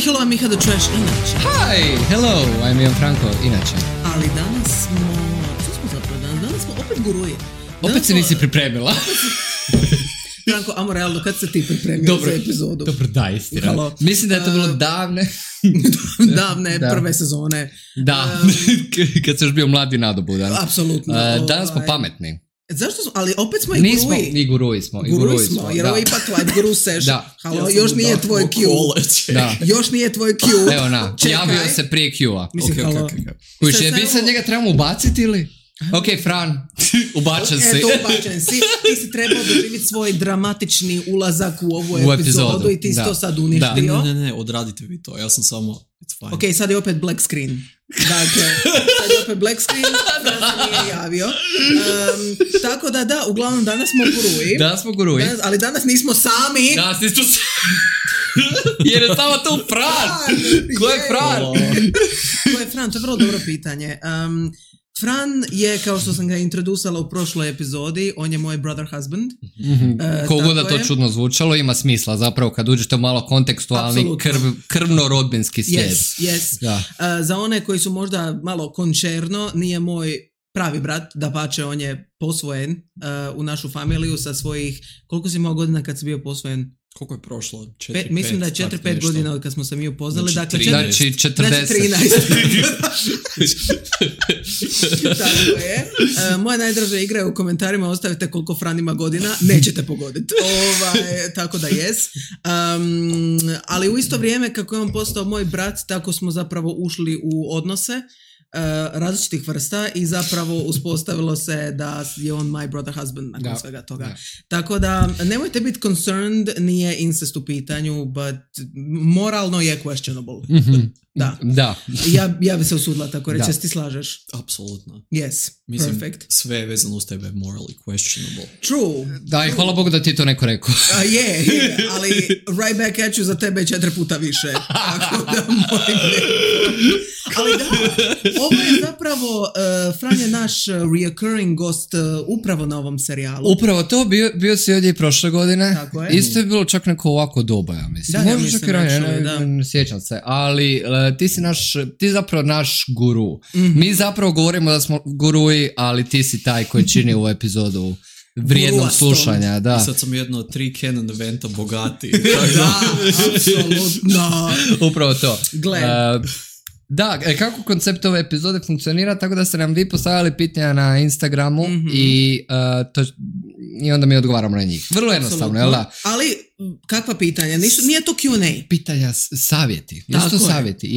hello, I'm Miha the Trash, inače. Hi, hello, I'm Ian Franko, inače. Ali danas smo, što smo zapravo danas? Danas smo opet guruji. Opet se nisi pripremila. Franko, amo realno, kad se ti pripremio za epizodu? Dobro, da, istina. Mislim da je to bilo davne prve sezone. Da, kad si još bio mladi nadobudan. Apsolutno. Danas smo pametni. Zašto smo? Ali opet smo i guruji. Nismo, i guruji smo. Guruji smo, jer ovo je ipak live guru session. Halo, još nije tvoj Q. Još nije tvoj Q. Evo na, javio se prije Q-a. Mislim, halo. Kuš, je bi sad njega trebamo ubaciti ili? Ok, Fran, ubačen si. Eto, ubačen si. Ti si trebao doživjeti svoj dramatični ulazak u ovu epizodu i ti si to sad uništio. Ne, odradite vi to, ja sam samo, it's fine. Ok, sad je opet black screen. Dakle, sad je opet black screen, Fran se nije javio. Tako da, uglavnom danas smo guruji. Danas smo guruji. Ali danas nismo sami. Danas nismo sami. Jer je samo tu Fran. Ko je Fran? Ko je Fran? To je vrlo dobro pitanje. Fran je, kao što sam ga introducala u prošloj epizodi, on je moj brother husband. Koliko da to čudno zvučalo, ima smisla zapravo kad uđete u malo kontekstualni krvno-rodbinski svijet. Yes. Za one koji su možda malo končerno, nije moj pravi brat, dapače on je posvojen u našu familiju sa svojih, koliko si imao godina kad si bio posvojen? Koliko je prošlo? Mislim da je 4-5 godina od kad smo se mi upoznali. Znači 40. 13. Tako je. Moja najdraža igra je u komentarima, ostavite koliko Fran ima godina, nećete pogoditi. Tako da jes. Ali u isto vrijeme kako je on postao moj brat, tako smo zapravo ušli u odnose različitih vrsta i zapravo uspostavilo se da je on my brother husband nakon svega toga. Tako da nemojte biti concerned, nije incest u pitanju, but moralno je questionable. Da. Ja bi se usudila tako reći, ti slažeš? Apsolutno. Yes, mislim, perfect. sve je vezano uz tebe morally questionable. True. Da, i hvala Bogu da ti to neko rekao. Je, ali right back at you za tebe 4 puta više. Tako da molim ali da, ovo je zapravo, Fran je naš reoccurring gost upravo na ovom serijalu. Upravo to, bio si ovdje i prošle godine. Tako je. Isto je bilo čak neko ovako doba, ja mislim. Da, možda čak i ranije, ne sjećam se. Ali ti zapravo naš guru. Mm-hmm. Mi zapravo govorimo da smo guruji, ali ti si taj koji čini ovu epizodu vrijednog slušanja. Da. I sad sam jedno 3 canon eventa bogati. Da, apsolutno. Upravo to. Gle. Da, kako koncept ove epizode funkcionira, tako da ste nam vi postavljali pitanja na Instagramu i onda mi odgovaramo na njih. Vrlo jednostavno, jel da? Ali, kakva pitanja? Nije to Q&A. Pitanja, savjeti. Jesu to savjeti.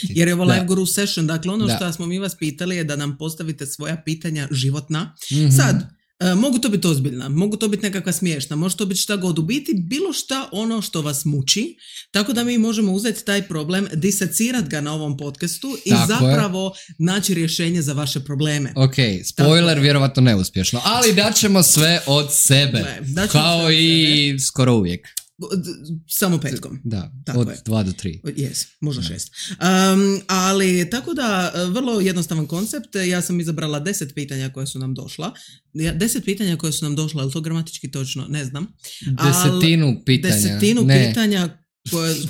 Jer je ovo live guru session, dakle ono što smo mi vas pitali je da nam postavite svoja pitanja životna. Mm-hmm. Sad, mogu to biti ozbiljna, mogu to biti nekakva smiješna, može to biti šta god, u biti bilo šta ono što vas muči, tako da mi možemo uzeti taj problem, disecirati ga na ovom podcastu i zapravo naći rješenje za vaše probleme. Ok, spoiler, vjerovatno neuspješno, ali daćemo sve od sebe, kao i skoro uvijek. Samo petkom. Da, tako od je. 2 do 3. Yes, možda 6. Ali tako da, vrlo jednostavan koncept. Ja sam izabrala 10 pitanja koja su nam došla. 10 pitanja koja su nam došla, je li to gramatički točno? Ne znam. Desetinu pitanja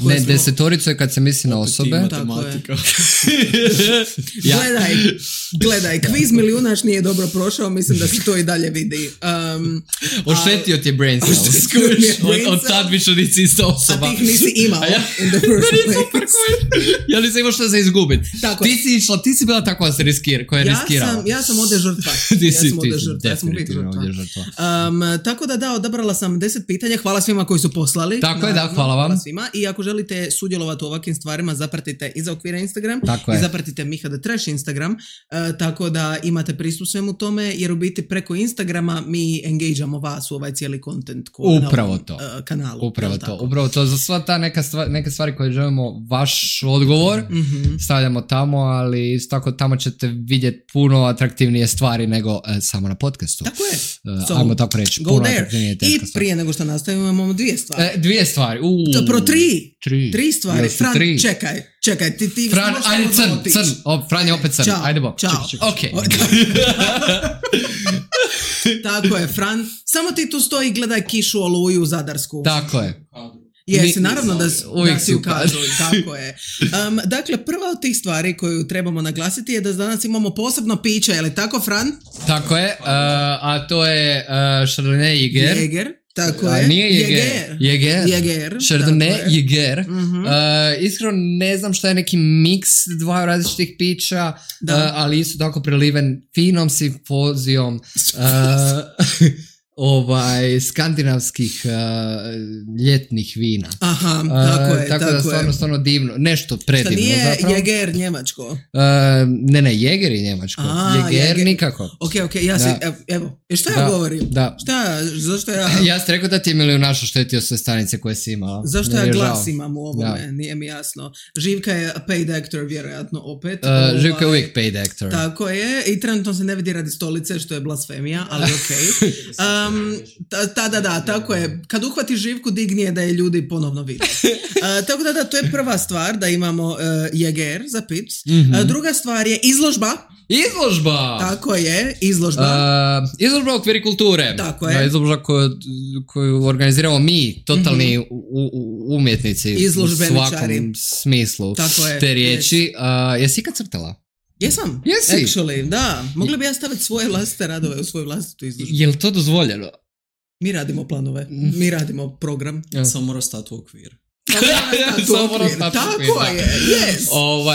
ne, desetoricu je kad se misli na osobe. Gledaj, kviz milijunaš nije dobro prošao, mislim da se to i dalje vidi. Oštetio ti je brain cells. Od tad više nisi ista osoba. A ti ih nisi imao in the first place. Ja nisam imao što za izgubit. Ti si bila takva koja je riskirala. Ja sam ovdje žrtva. Ja sam uvijek žrtva. Tako da, odabrala sam 10 pitanja. Hvala svima koji su poslali. Tako je, da, hvala vam. I ako želite sudjelovati u ovakvim stvarima, zapratite Iza okvira Instagram i zapratite Miha the Trash Instagram, tako da imate pristup svemu tome, jer u biti preko Instagrama mi engageamo vas u ovaj cijeli content upravo to. Kanalu. Upravo to. Za sva ta neke stvari koje želimo vaš odgovor, stavljamo tamo, ali isto tako tamo ćete vidjeti puno atraktivnije stvari nego samo na podcastu. Tako je. Ajmo tako reći. Go there. I prije nego što nastavimo imamo 2 stvari. 2 stvari. Tri stvari. Fran, čekaj. Ti Fran, ajde crn. Fran je opet crn. Ajde bo. Ćao. Ok. Tako je, Fran. Samo ti tu stoji i gledaj kišu oluju zadarsku. Tako je. Jesi, naravno da uvijek si ukazuju, tako je. Dakle, prva od tih stvari koju trebamo naglasiti je da danas imamo posebno piće, je li tako, Fran? Tako je, a to je Chardonnay Jäger. Jäger, tako je. Nije Jäger. Chardonnay Jäger. Iskreno ne znam šta je neki miks dva različitih pića, ali isto tako preliven finom simfozijom skandinavskih ljetnih vina. Aha, tako da stvarno divno. Nešto predivno. Šta nije zapravo. Jäger njemačko? Ne, Jäger je njemačko. Jäger nikako. Ok, ja si, evo, šta ja govorim? Da. Zašto ja... Ja sam rekao da ti je milijunaš oštetio sve stanice koje si imala. Zašto ja glas imam u ovome? Nije mi jasno. Živka je paid actor, vjerojatno opet. Živka je uvijek paid actor. Tako je. I trenutno se ne vidi radi stolice, što je blasfemija, ali okej. Tako je. Kad uhvatiš Živku, digni je da je ljudi ponovno vide. Tako da, to je prva stvar, da imamo Jäger za pic. Druga stvar je izložba. Tako je, izložba. Izložba u okviru kulture. Tako je. Izložba koju organiziramo mi, totalni umjetnici u svakom smislu te riječi. Jesi ikad crtala? Jesam. Jesi? Actually, da. Mogli bi ja staviti svoje vlastite radove u svoju vlastitu izložbu. Je li to dozvoljeno? Mi radimo planove. Mi radimo program. Samo mora stati u okvir. Tako je, yes.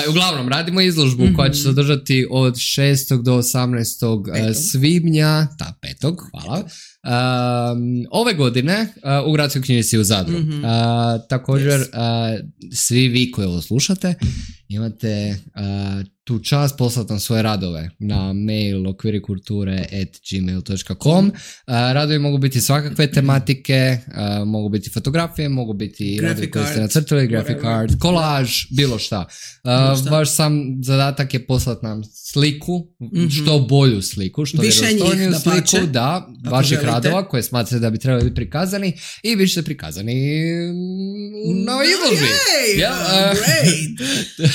Uglavnom, radimo izložbu koja će se održati od 6. do 18. svibnja, 5. hvala, ove godine u Gradskoj knjižnici u Zadru. Također, svi vi koji ovo slušate, imate tu čast poslati nam svoje radove na mail okvirikulture@gmail.com. Radovi mogu biti svakakve tematike, mogu biti fotografije, mogu biti radovi koji ste nacrtali, graphic art, kolaž, bilo šta. Vaš sam zadatak je poslati nam sliku, što bolju sliku, što vjerodostojniju sliku, vaših radova koje smatrate da bi trebali biti prikazani i vi ćete prikazani na izložbi. Great!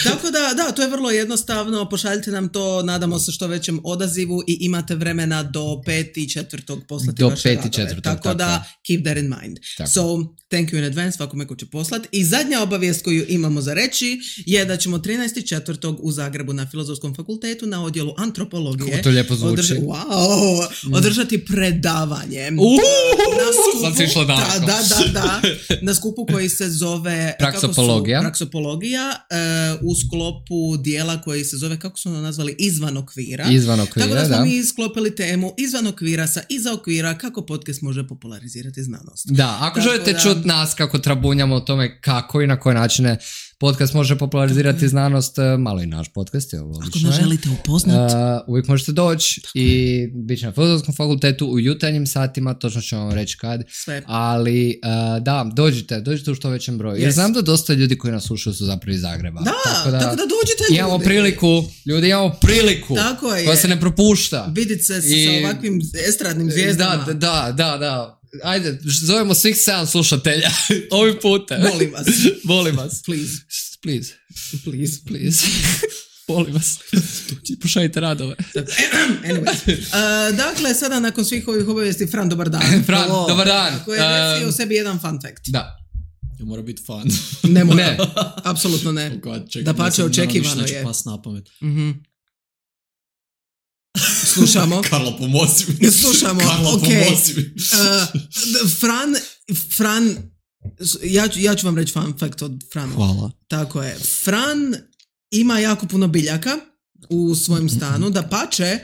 Tako da, to je vrlo jednostavno. Pošaljite nam to, nadamo se što većem odazivu i imate vremena do 5.4. poslati vaše radove. Tako da, keep that in mind. Tako. So, thank you in advance svakome ko će poslati. I zadnja obavijest koju imamo za reći je da ćemo 13.4. u Zagrebu na Filozofskom fakultetu na odjelu antropologije kako to lijepo zvuči. Održati predavanje. Sam si išla daleko. Da. Na skupu koji se zove Praksopologija u sklopu dijela koji se zove, kako su nazvali, izvan okvira. Tako da smo mi sklopili temu izvan okvira sa iza okvira kako podcast može popularizirati znanost. Da, ako želite čuti nas kako trabunjamo o tome kako i na koje načine podcast može popularizirati znanost, malo i naš podcast je logično. Ako nas želite upoznati, uvijek možete doći i biti na Filozofskom fakultetu u jutarnjim satima, točno ću vam reći kad. Sve. Ali dođite u što većem broju. Jer znam da dosta ljudi koji nas slušaju su zapravo iz Zagreba. Tako da dođite ljudi. Imamo priliku koja se ne propušta. Vidite se sa ovakvim estradnim zvijezdama. Da. Ajde, zovemo svih 7 slušatelja ovim putem. Molim vas. Please. Molim vas. Pošaljite radove. Anyways. Dakle, sada nakon svih ovih obavijesti, Fran, dobar dan. Dobar dan. Koji je o sebi jedan fun fact. Da. Ne mora biti fun. Ne mora. Apsolutno ne. Da pače, očekivano je. Pas na pamet. Slušamo. Karlo, pomozi mi. Pomozi mi. Fran, ja ću vam reći fun fact od Frana. Hvala. Tako je. Fran ima jako puno biljaka u svojem stanu, da pače,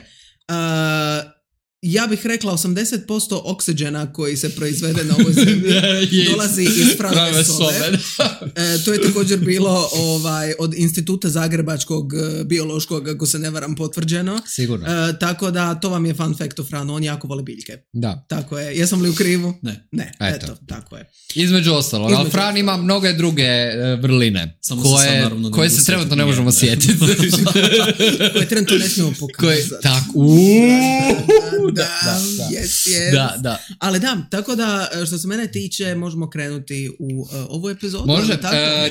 ja bih rekla 80% oksidžena koji se proizvede na ovoj zemlji dolazi iz Franove sobe. To je također bilo od Instituta Zagrebačkog biološkog, ako se ne varam, potvrđeno. Sigurno. Tako da to vam je fun fact o Franu, on jako voli biljke. Da. Tako je. Jesam li u krivu? Ne. Eto, tako je. Između ostalog, ali Fran ima mnoge druge vrline koje se trenutno ne možemo sjetiti. Koje trenutno ne smijemo pokazati. Da. Ali tako da, što se mene tiče, možemo krenuti u ovu epizodu. Može,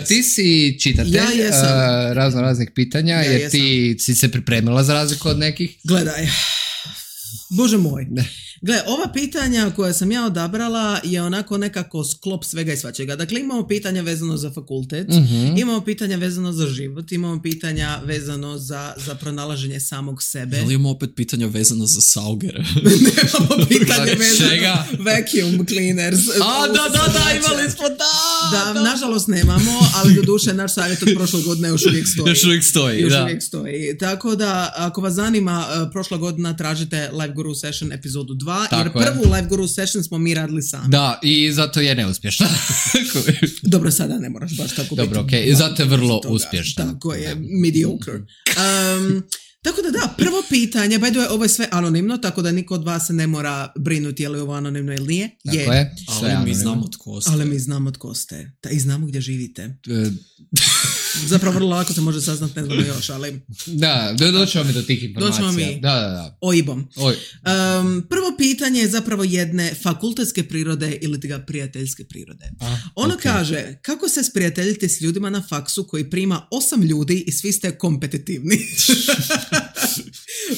ti si čitatelj raznih pitanja, jer ti si se pripremila za razliku od nekih. Gledaj, Bože moj, Gle, ova pitanja koja sam ja odabrala je onako nekako sklop svega i svačega. Dakle, imamo pitanja vezano za fakultet, imamo pitanja vezano za život, imamo pitanja vezano za pronalaženje samog sebe. Ali imamo opet pitanja vezano za saugere. Nemamo pitanje vezano Čega? vacuum cleaners. Da, imali smo, Da, nažalost nemamo, ali do duše naš savjet od prošle godine još uvijek stoji. Još uvijek stoji, Tako da, ako vas zanima, prošla godina tražite Live Guru Session epizodu 2, Tako jer je. prvu Live Guru Session smo mi radili sami. Da, i zato je neuspješna. Dobro, sada ne moraš baš tako Dobro, biti. okej, zato je vrlo toga. uspješna. Tako je, mediocre. Tako da, prvo pitanje, by the way, ovo je sve anonimno, tako da niko od vas se ne mora brinuti je li ovo anonimno ili nije. Tako je. sve Ali mi anonimno. znamo tko ste. Ali mi znamo tko ste. I znamo gdje živite. Zapravo vrlo lako se može saznat, ne znamo još, ali Da, doćemo mi do tih informacija. Doćemo mi. Da. OIB-om. Oj, Prvo pitanje je zapravo jedne fakultetske prirode ili ti ga prijateljske prirode. Ono okej. kaže, kako se sprijateljite s ljudima na faksu koji prima 8 ljudi i svi ste kompetitivni?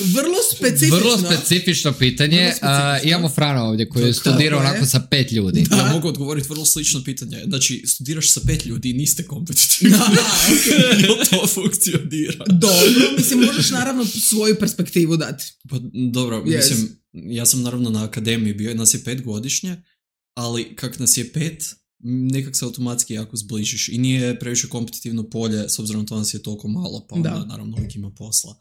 Vrlo specifično pitanje. Vrlo specifično. Imamo Frana ovdje koji je Tako studirao je. onako sa 5 ljudi. Ja mogu odgovoriti vrlo slično pitanje. Znači, studiraš sa 5 ljudi i niste kompetitivni. Jel to funkcionira? Dobro, mislim, možeš naravno svoju perspektivu dati. Pa dobro, Yes. mislim, ja sam naravno na akademiji bio, nas je 5 godišnje, ali kak nas je 5, nekak se automatski jako zbližiš i nije previše kompetitivno polje, s obzirom to nas je toliko malo, pa Da. onda naravno uvijek ima posla.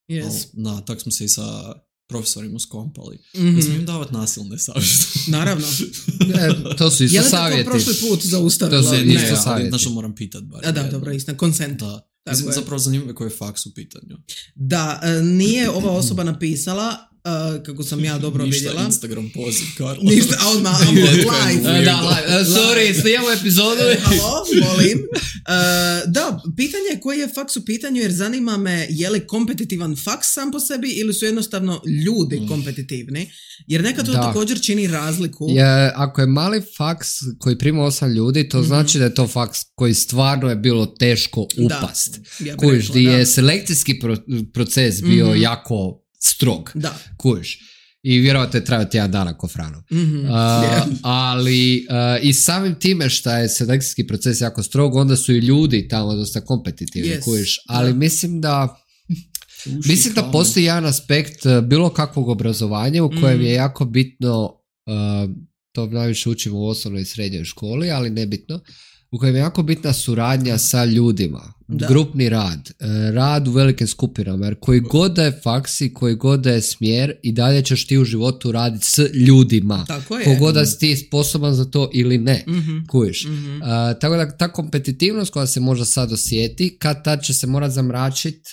Yes. Tak smo se i sa profesorima skompali. Mhm. Ne smijem davati nasilne savjete. Naravno. To su Je isto li savjeti. tako prošli put zaustavilo? To su Ne. isto ali savjeti. znači moram pitat bar. A da, jednom. dobro, istina, consent. Da. Tako Mislim, je. zapravo zanimljivo koji je faks u pitanju. Da, nije ova osoba napisala, kako sam ja dobro Ništa vidjela. Instagram poziv, Karlo. Ništa, a odmah, live. Sorry, snijemo epizodu. Halo, molim. Da, pitanje je koji je faks u pitanju, jer zanima me je li kompetitivan faks sam po sebi ili su jednostavno ljudi kompetitivni, jer nekad to Da. također čini razliku. Ako je mali faks koji prima 8 ljudi, to znači da je to faks koji stvarno je bilo teško upast. ja bih Kužiš, rekla, di da. je selekcijski proces bio jako strog. Da. Kužiš. I vjerovatno je trajao tjedan dana ko Frano. Ali i samim time što je selekcijski proces jako strog, onda su i ljudi tamo dosta kompetitivni, Yes. kužiš. Ali mislim da postoji jedan aspekt bilo kakvog obrazovanja u kojem je jako bitno, to najviše učimo u osnovnoj i srednjoj školi, ali nebitno, u kojem je jako bitna suradnja sa ljudima, Da. grupni rad, rad u velikim skupinama, jer koji god da je faks i koji god da je smjer, i dalje ćeš ti u životu raditi s ljudima. Tako je. Kogod da si ti sposoban za to ili ne. Mhm. Kužiš. Tako da ta kompetitivnost koja se možda sad osjeti, kad tad će se morat zamračiti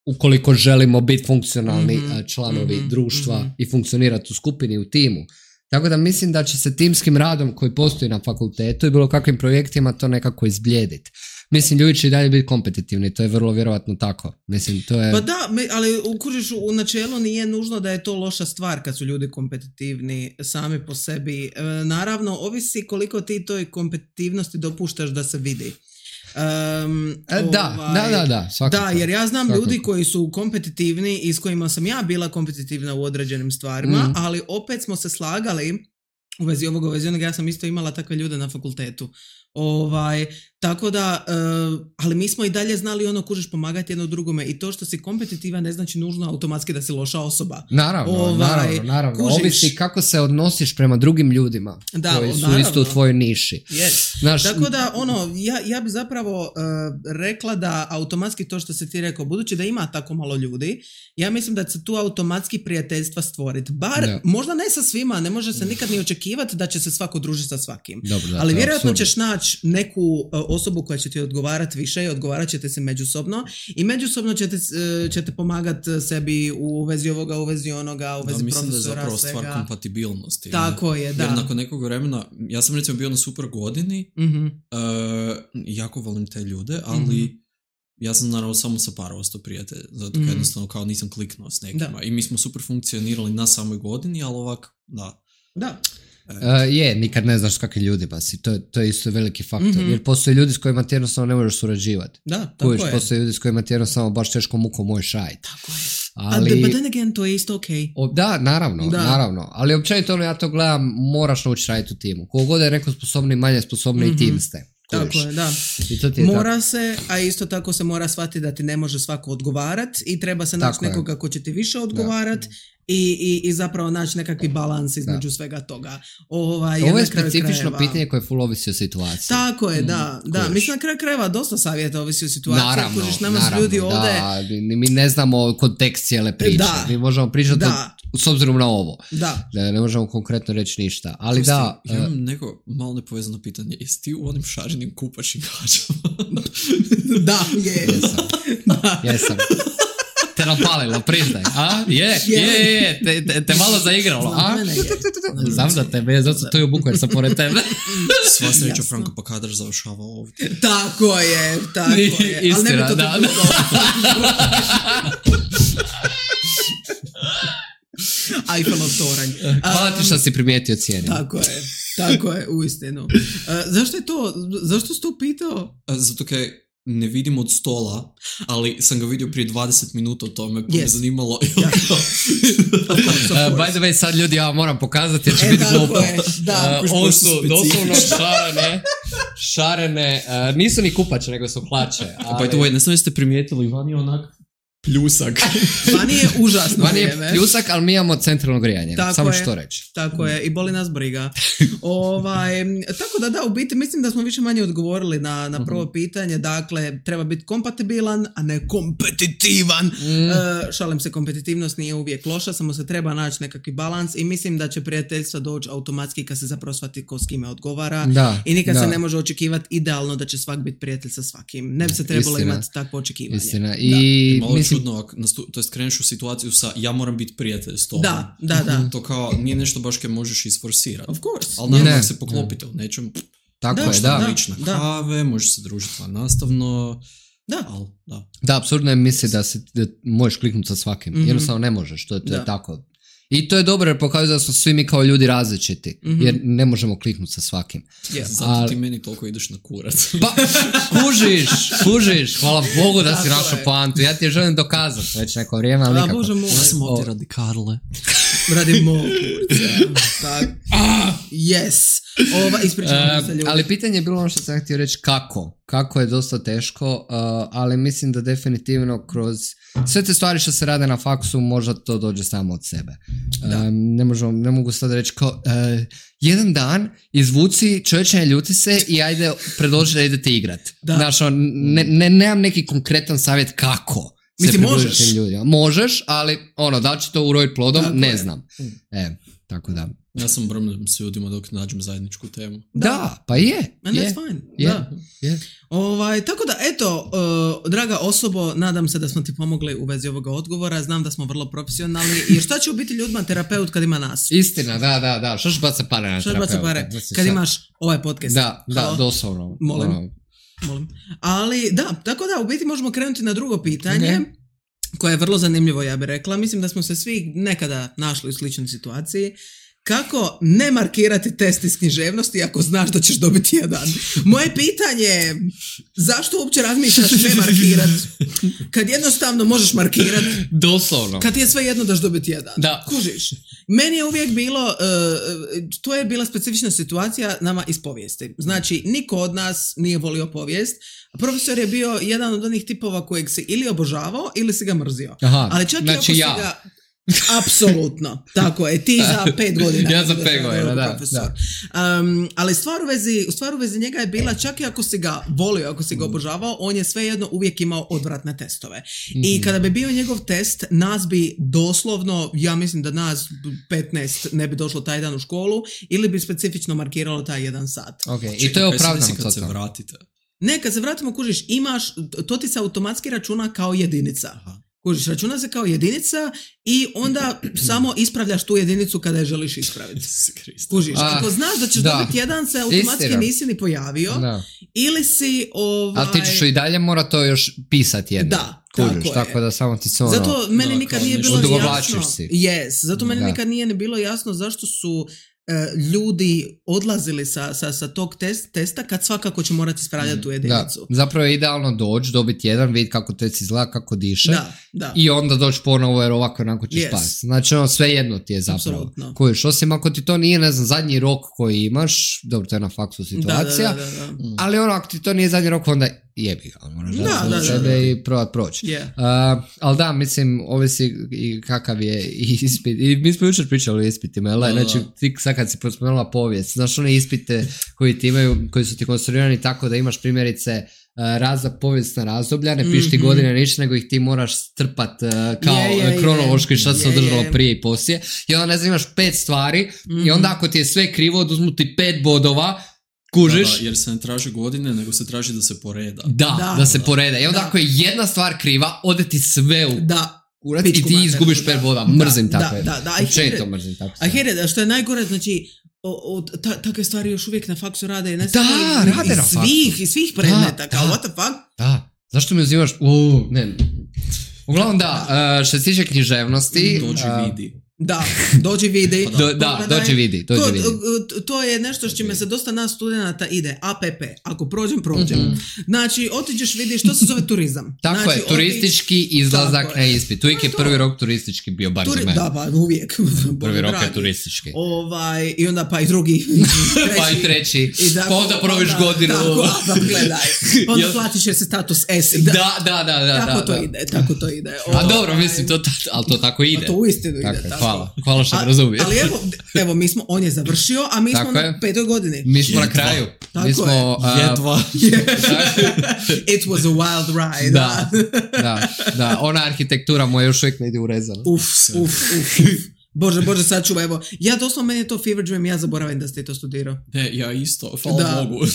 ukoliko želimo biti funkcionalni članovi društva i funkcionirati u skupini, u timu. Tako da mislim da će se timskim radom koji postoji na fakultetu i bilo kakvim projektima to nekako izblijediti. Mislim, ljudi će i dalje biti kompetitivni, to je vrlo vjerojatno tako. Mislim, to je... Pa da, ali kužiš, u načelu nije nužno da je to loša stvar kad su ljudi kompetitivni sami po sebi. Naravno, ovisi koliko ti toj kompetitivnosti dopuštaš da se vidi. Da, svakako. Da, jer ja znam Svakako. ljudi koji su kompetitivni i s kojima sam ja bila kompetitivna u određenim stvarima, ali opet smo se slagali u vezi ovoga, u vezi onoga, ja sam isto imala takve ljude na fakultetu. Tako da, ali mi smo i dalje znali ono, kužiš, pomagati jedno drugome, i to što si kompetitivan ne znači nužno automatski da si loša osoba. Naravno. kužiš. Ovisi kako se odnosiš prema drugim ljudima koji su naravno. isto u tvojoj niši. Yes. Znaš, Tako da, ja bi zapravo rekla da automatski to što si ti rekao, budući da ima tako malo ljudi, ja mislim da će se tu automatski prijateljstva stvoriti. Bar, možda ne sa svima, ne može se nikad ni očekivati da će se svako družiti sa svakim. Dobro, ali vjerojatno apsurdno. ćeš naći neku osobu koja će ti odgovarati više i odgovarat ćete se međusobno i međusobno ćete pomagati sebi u vezi ovoga, u vezi onoga, u vezi profesora, mislim da je zapravo svega. stvar kompatibilnosti. Tako je, da. Jer nakon nekog vremena, ja sam recimo bio na super godini, jako volim te ljude, ali ja sam naravno samo sa par ostao prijatelj, zato jednostavno kao nisam kliknuo s nekima. Da. I mi smo super funkcionirali na samoj godini, ali ovak, da. Da. Nikad ne znaš kakvi ljudi pa si, to je isto veliki faktor, jer postoje ljudi s kojima ti jednostavno ne možeš surađivati. Da, tako je. Postoje ljudi s kojima ti jednostavno baš teško mukom možeš raditi. Tako je. Ali, but then again, to je isto okej. Da, naravno, ali općenito ja to gledam, moraš naučiti raditi u timu. Kogod je neko sposobni, manje sposobni i tim ste. Tako je, da. Mora se, a isto tako se mora shvatiti da ti ne može svako odgovarat i treba se naći nekoga ko će ti više odgovarat i zapravo naći nekakvi balans između svega toga. Ovo je specifično pitanje koje full ovisi o situaciji. Tako je, da. Mislim, na kraju krajeva dosta savjeta ovisi o situaciji. Naravno, ljudi ovdje... Mi ne znamo kontekst cijele priče. Mi možemo pričati s obzirom na ovo. Da. Ne možemo konkretno reći ništa. Ali ja imam neko malo nepovezano pitanje. Jesi ti u onim šarenim kupačim gađama? Da, je. Jesam. Te napalilo, priznaj. A? Je. Te malo zaigralo. A? Znam da tebe, zato to je u buku jer sam pored tebe. Sva sreća Franko pa kadar završava ovdje. Tako je. Istina, ali ne bi to Eiffelov toranj. Hvala ti što si primijetio cijeni. Tako je, uistinu. Zašto si to pitao? Zato kaj ne vidim od stola, ali sam ga vidio prije 20 minuta o tome, pa me zanimalo. By the way, sad ljudi, ja moram pokazati jer će biti glupo. Ovo su doslovno šarene, nisu ni kupače, nego su hlače. By the way, ne znam jeste primijetili, van je onak pljusak. Vani je užasno vrijeme. Vani je pljusak, ali mi imamo centralno grijanje. Samo što reći. Tako je, i boli nas briga. Tako da, u biti mislim da smo više manje odgovorili na prvo pitanje. Dakle, treba biti kompatibilan, a ne kompetitivan. Šalim se, kompetitivnost nije uvijek loša, samo se treba naći nekakvi balans i mislim da će prijateljstva doći automatski kad se zapravo shvati ko s kime odgovara. I nikad se ne može očekivati idealno da će svak biti prijatelj sa svakim. Ne bi se trebalo imati takvo očekivanje. Istina. I čudno, to jest kreneš u situaciju sa ja moram biti prijatelj s tobom. Da. To kao nije nešto baš kaj možeš isforsirati. Of course. Ali naravno se poklopite u nečem. Tako je, lična kave, možeš se družiti nastavno. Da, apsurdno je misli da možeš kliknuti sa svakim. Jednostavno ne možeš, to je tako. I to je dobro jer pokazuje da smo svi mi kao ljudi različiti, jer ne možemo kliknuti sa svakim. Zato ti meni toliko ideš na kurac. Pa, kužiš, hvala Bogu da si našao poantu. Ja ti je želim dokazati već neko vrijeme, ali nikako. Ja sam ovdje radi Karle. Radi mog kurca. Yes. Ispričavam se ljudi. Ali pitanje je bilo ono što sam htio reći kako je dosta teško, ali mislim da definitivno kroz sve te stvari što se rade na faksu možda to dođe samo od sebe. Ne mogu sad reći kao jedan dan izvuci čovječanje, ljuti se i ajde predloži da idete igrat. Znaš, nemam neki konkretan savjet kako. Mislim, možeš. Možeš, ali da će to urojiti plodom, ne znam. Tako da. Ja sam bromljen s ljudima dok nađem zajedničku temu. Da, pa je. And that's fine. Tako da, eto, draga osobo, nadam se da smo ti pomogli u vezi ovoga odgovora. Znam da smo vrlo profesionalni. Jer šta će u biti ljudima terapeut kad ima nas? Istina, da. Što će baca pare na terapeuta? Kad imaš ovaj podcast. Da, doslovno. Molim. Ali da, tako da u biti možemo krenuti na drugo pitanje koje je vrlo zanimljivo, ja bih rekla. Mislim da smo se svi nekada našli u sličnoj situaciji. Kako ne markirati test iz književnosti ako znaš da ćeš dobiti jedan? Moje pitanje je, zašto uopće razmišljaš ne markirati? Kad jednostavno možeš markirati. Doslovno. Kad ti je sve jedno daš dobiti jedan. Da. Kužiš. Meni je uvijek bilo, to je bila specifična situacija nama iz povijesti. Znači, niko od nas nije volio povijest. Profesor je bio jedan od onih tipova kojeg si ili obožavao ili si ga mrzio. Aha, ali čak znači i ako si ga... Apsolutno, tako je, ti za 5 godina. Ja za 5 godina, da. Ali stvar u vezi njega je bila, čak i ako si ga volio, ako si ga obožavao, on je svejedno uvijek imao odvratne testove. I kada bi bio njegov test, nas bi doslovno, ja mislim da nas 15 ne bi došlo taj dan u školu, ili bi specifično markiralo taj 1 sat. I to je opravdano. Kad se vratite? Ne, kad se vratimo, kužiš, to ti se automatski računa kao jedinica. Aha. Kužiš, računa se kao jedinica i onda samo ispravljaš tu jedinicu kada je želiš ispraviti. Kužiš, ako znaš da ćeš dobiti jedan, se automatski nisi ni pojavio. Ili si... Ali ti ćeš i dalje mora to još pisati jedno. Da, kužiš, tako da samo ti se ono... Zato meni nikad nije bilo jasno... Si. Zato meni nikad nije bilo jasno zašto su ljudi odlazili sa tog testa kad svakako će morati ispravljati tu jedinicu. Da, zapravo je idealno doći, dobiti jedan, vidjeti kako test izgleda, kako diše da. I onda doći ponovo jer ovako onako ćeš spasti. Znači sve jedno ti je zapravo. Kojiš, osim ako ti to nije, ne znam, zadnji rok koji imaš, dobro, to je na faksu situacija, da. Ali ono, ako ti to nije zadnji rok, onda jebi ga, moraš da sebe i probat proći. Ali da, mislim, ovisi i kakav je ispit. I mi smo jučer pričali o ispitima, znači ti sad kad si spomenula povijest, znaš one ispite koji ti imaju, koji su ti konstruirani tako da imaš primjerice povijesna razdoblja, ne piši ti godine ništa, nego ih ti moraš strpat kao kronološki šta se održalo prije i poslije. I onda ne znam, imaš 5 stvari i onda ako ti je sve krivo, oduzmu ti 5 bodova, kužiš? Da, jer se ne traži godine, nego se traži da se poreda. Da se poreda. I onda ako je jedna stvar kriva, ode ti sve u kurac i ti izgubiš 5 boda. Mrzim takve. Učeto mrzim takve. A here, što je najgore, znači, takve stvari još uvijek na faksu rade. Rade na faksu. I svih predmeta, kao what the fuck? Da, zašto mi uzimaš? Ne. Uglavnom što se tiče književnosti... Dođi vidi. Da, dođi vidi. Dođi vidi. To je nešto s čime se dosta nas studenata ide. APP, ako prođem. Znači, otiđeš vidiš, što se zove turizam. Tako je, turistički izlazak na ispit. Uvijek je prvi rok turistički bio, bar za mene. Da, pa uvijek. Prvi rok je turistički. I onda pa i drugi. Pa i treći. Pa onda proviš godinu. Tako, gledaj. Onda platiš jer se status S. Da. Tako to ide. A dobro, mislim, ali to tako ide. To uistinu ide. Hvala što me razumije. Ali evo, on je završio, a mi smo na 5. godini. Mi smo na kraju. Mi smo... Jedva. It was a wild ride. Da. Ona arhitektura moja još uvijek ne ide urezana. Uf. Bože, sad čuva, evo. Ja doslovno, meni je to fever dream, ja zaboravim da ste to studirao. Ne, ja isto, hvala Bogu.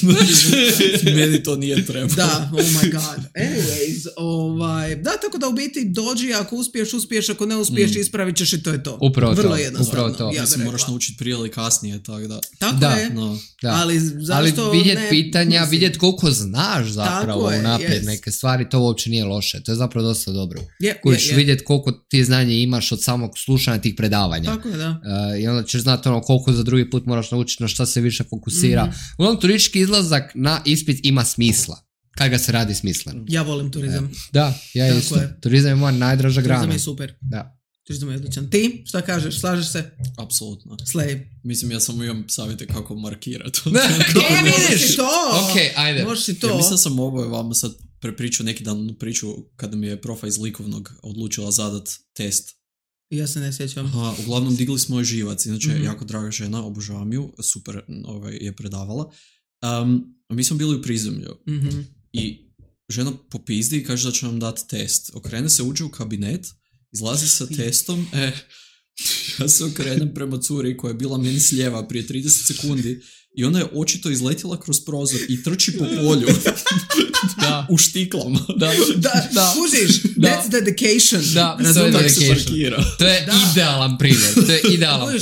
Meni to nije treba. Da, oh my god. Anyways, tako da u biti dođi, ako uspiješ, ako ne uspiješ, ispravit ćeš i to je to. Upravo vrlo jednostavno. To. Ja se moraš naučiti prije ili kasnije, tako da. Tako je. Da. Ali vidjet pitanja, vidjet koliko znaš zapravo unaprijed neke stvari, to uopće nije loše. To je zapravo dosta dobro. Vidjet koliko ti znanje imaš od samog slušanja tih predavanja. Tako je, da. I onda ćeš znati koliko za drugi put moraš naučiti, na šta se više fokusira. Uglavnom, turistički izlazak na ispit ima smisla. Kad ga se radi smisleno. Ja volim turizam. Da, ja tako isto. Je. Turizam je moja najdraža grana. Turizam je super. Da. Turizam je odličan. Ti, šta kažeš? Slažeš se? Apsolutno. Slej. Mislim, ja samo imam savjete kako markirati. Vidiš to! Ok, ajde. Možeš i to. Ja mislim sam vama sad prepričao neki dan priču kada mi je profa iz likovnog odlučila zadat test. Ja se ne sjećam. Uglavnom digli smo joj živac, inače jako draga žena, obožavam ju, super je predavala. Mi smo bili u prizemlju i žena popizdi i kaže da će nam dati test. Okrene se, uđe u kabinet, izlazi sa testom, ja se okrenem prema curi koja je bila meni s lijeva prije 30 sekundi i ona je očito izletjela kroz prozor i trči po polju u štiklama. Da. Kužiš, that's dedication. To je idealan primjer.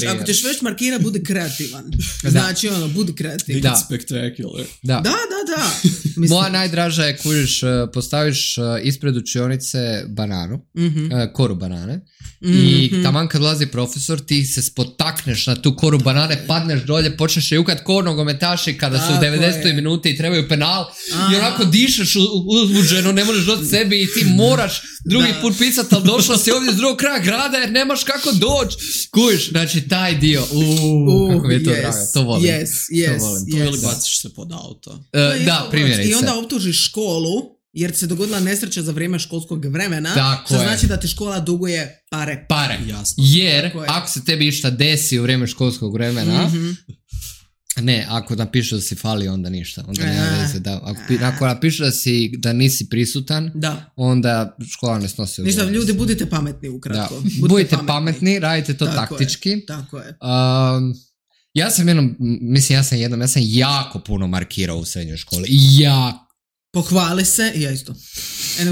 Ako ćeš već markira, budi kreativan. Znači, budi kreativan. Make it spectacular. Da. Moja najdraža je, kužiš, postaviš ispred učionice bananu, koru banane, i taman kad dolazi profesor, ti se spotakneš na tu koru banane, padneš dolje, počneš jukat ko nogometaši kada su u 90. minuti i trebaju penal i onako dišeš uzbuđeno, ne možeš doći sebi i ti moraš drugi put pisati, ali došla si ovdje s drugog kraja grada jer nemaš kako doći. Kujiš, znači taj dio, kako mi je to drago, to volim. To ili baciš se pod auto. Da, primjerice. I onda optužiš školu jer se dogodila nesreća za vrijeme školskog vremena, što znači da ti škola duguje pare. Jasno. Jer ako se tebi išta desi u vrijeme školskog vremena, ne, ako napišu da si fali, onda ništa. Onda nema veze. Ako napišu da nisi prisutan, onda škola ne snosi ništa, ljudi, budite pametni ukratko. Budite pametni, radite to taktički. Tako je. Ja sam jako puno markirao u srednjoj školi. Pohvali se, ja isto.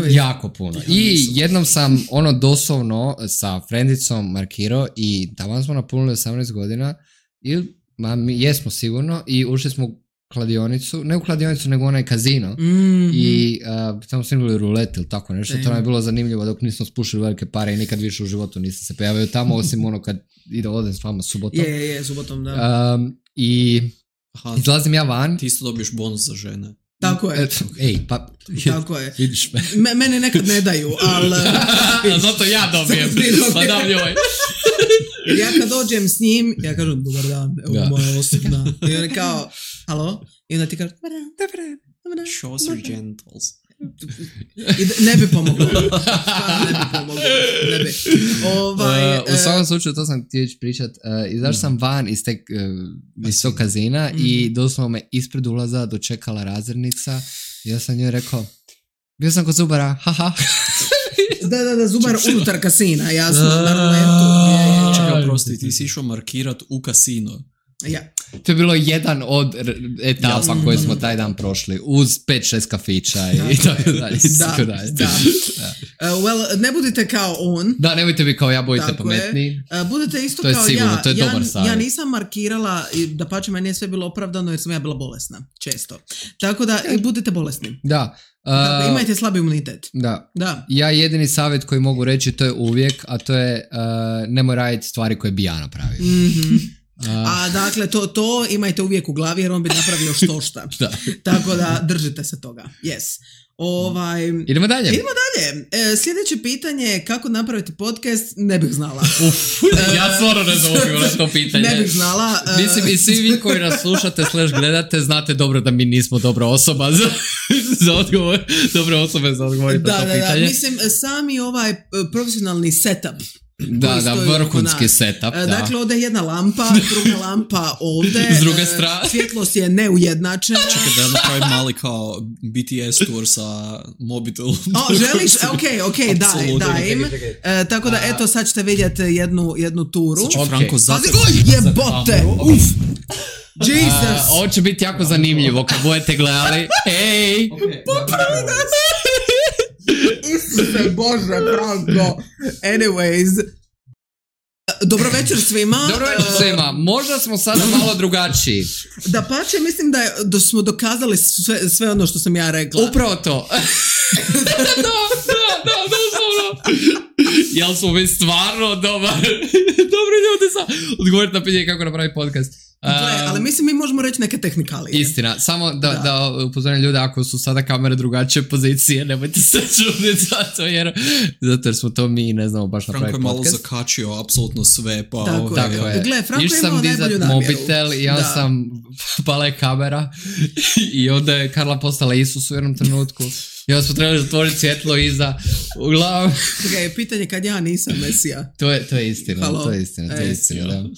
Jako puno. I jednom sam doslovno sa frendicom markirao i tamo smo napunili 18 godina i mi jesmo sigurno i ušli smo u kladionicu, ne u kladionicu nego onaj kazino i i tamo smo imali rulet ili tako nešto, to nam je bilo zanimljivo dok nismo spušili velike pare i nikad više u životu nisam se pojavio tamo, osim ono kad odem s vama subotom. Je, subotom, da. I izlazim ja van. Ti isto dobiješ bonus za žene. Tako je. Tako je. Vidiš me. Mene nekad ne daju, ali... Zato ja dobijem. Pa dam njoj. Jer ja kad dođem s njim, ja kažem, dobar dan, evo moja osobna. I on je kao, halo? I onda ti kaže, dobar dan. Show us your genitals. Ne bi pomoglo. Ne bi. U svakom slučaju, to sam htio pričat. Izašao sam van iz tog kazina i doslovno me ispred ulaza dočekala razrednica. I ja sam njoj rekao, bio sam kod zubara, haha. Da, zubar unutar kasina, jasno, na ruletu. Čekaj, prosti, ti si išao markirat u kasino. Ja. To je bilo jedan od etapa koje smo taj dan prošli, uz 5-6 kafića i tako dalje. Da. Well, ne budite kao on. Da, nemojte biti kao ja, budite pametni. Budete isto to kao sigurno, ja. To je dobar savjet. Ja nisam markirala, da pače meni je sve bilo opravdano jer sam ja bila bolesna, često. Tako da i budete bolesni. Da. Imajte slabi imunitet. Da. Ja jedini savjet koji mogu reći, to je uvijek, a to je nemoj raditi stvari koje bi ja napravio. A dakle, to imajte uvijek u glavi jer on bi napravio štošta. Tako da držite se toga. Yes. Idemo dalje. Sljedeće pitanje je kako napraviti podcast, ne bih znala. Ja stvarno ne znam to pitanje. Ne bih znala. Mislim, i svi vi koji nas slušate / gledate, znate dobro da mi nismo dobra osoba za odgovor. Dobre osobe za odgovor na to pitanje. Da. Mislim, sami profesionalni setup. Da, vrhunski setup. Dakle, ovdje je jedna lampa, druga lampa ovdje. S druge strane. Svjetlost je neujednačena. Čekaj, da napravim mali kao BTS tour sa mobitelom. Želiš? Ok, daj im. Tako da, eto, sad ćete vidjeti jednu turu. Franko, jebote! Uf! Jesus! Ovo će biti jako zanimljivo kad budete gledali. Ej! Popravi nas! Isuse Bože, Franko. Anyways. Dobro večer svima. Možda smo sada malo drugačiji. Da pače, mislim da smo dokazali sve ono što sam ja rekla. Upravo to. Da. Jel smo mi stvarno dobri ljudi za odgovoriti na pitanje kako napraviti podcast. Ali mislim mi možemo reći neke tehnikalije. Istina, samo da upozorim ljude ako su sada kamere drugačije pozicije, nemojte se čuditi zato jer smo to mi ne znamo baš napraviti podcast. Franko je malo zakačio apsolutno sve. Tako je. Gle, Franko je imao najbolju namjeru. Mobitel i ja sam pala je kamera i onda je Karla postala Isus u jednom trenutku. I onda smo trebali zatvoriti svjetlo iza uglavnom. Pitanje kad ja nisam Mesija. To je istina. Halo? To je istina, da.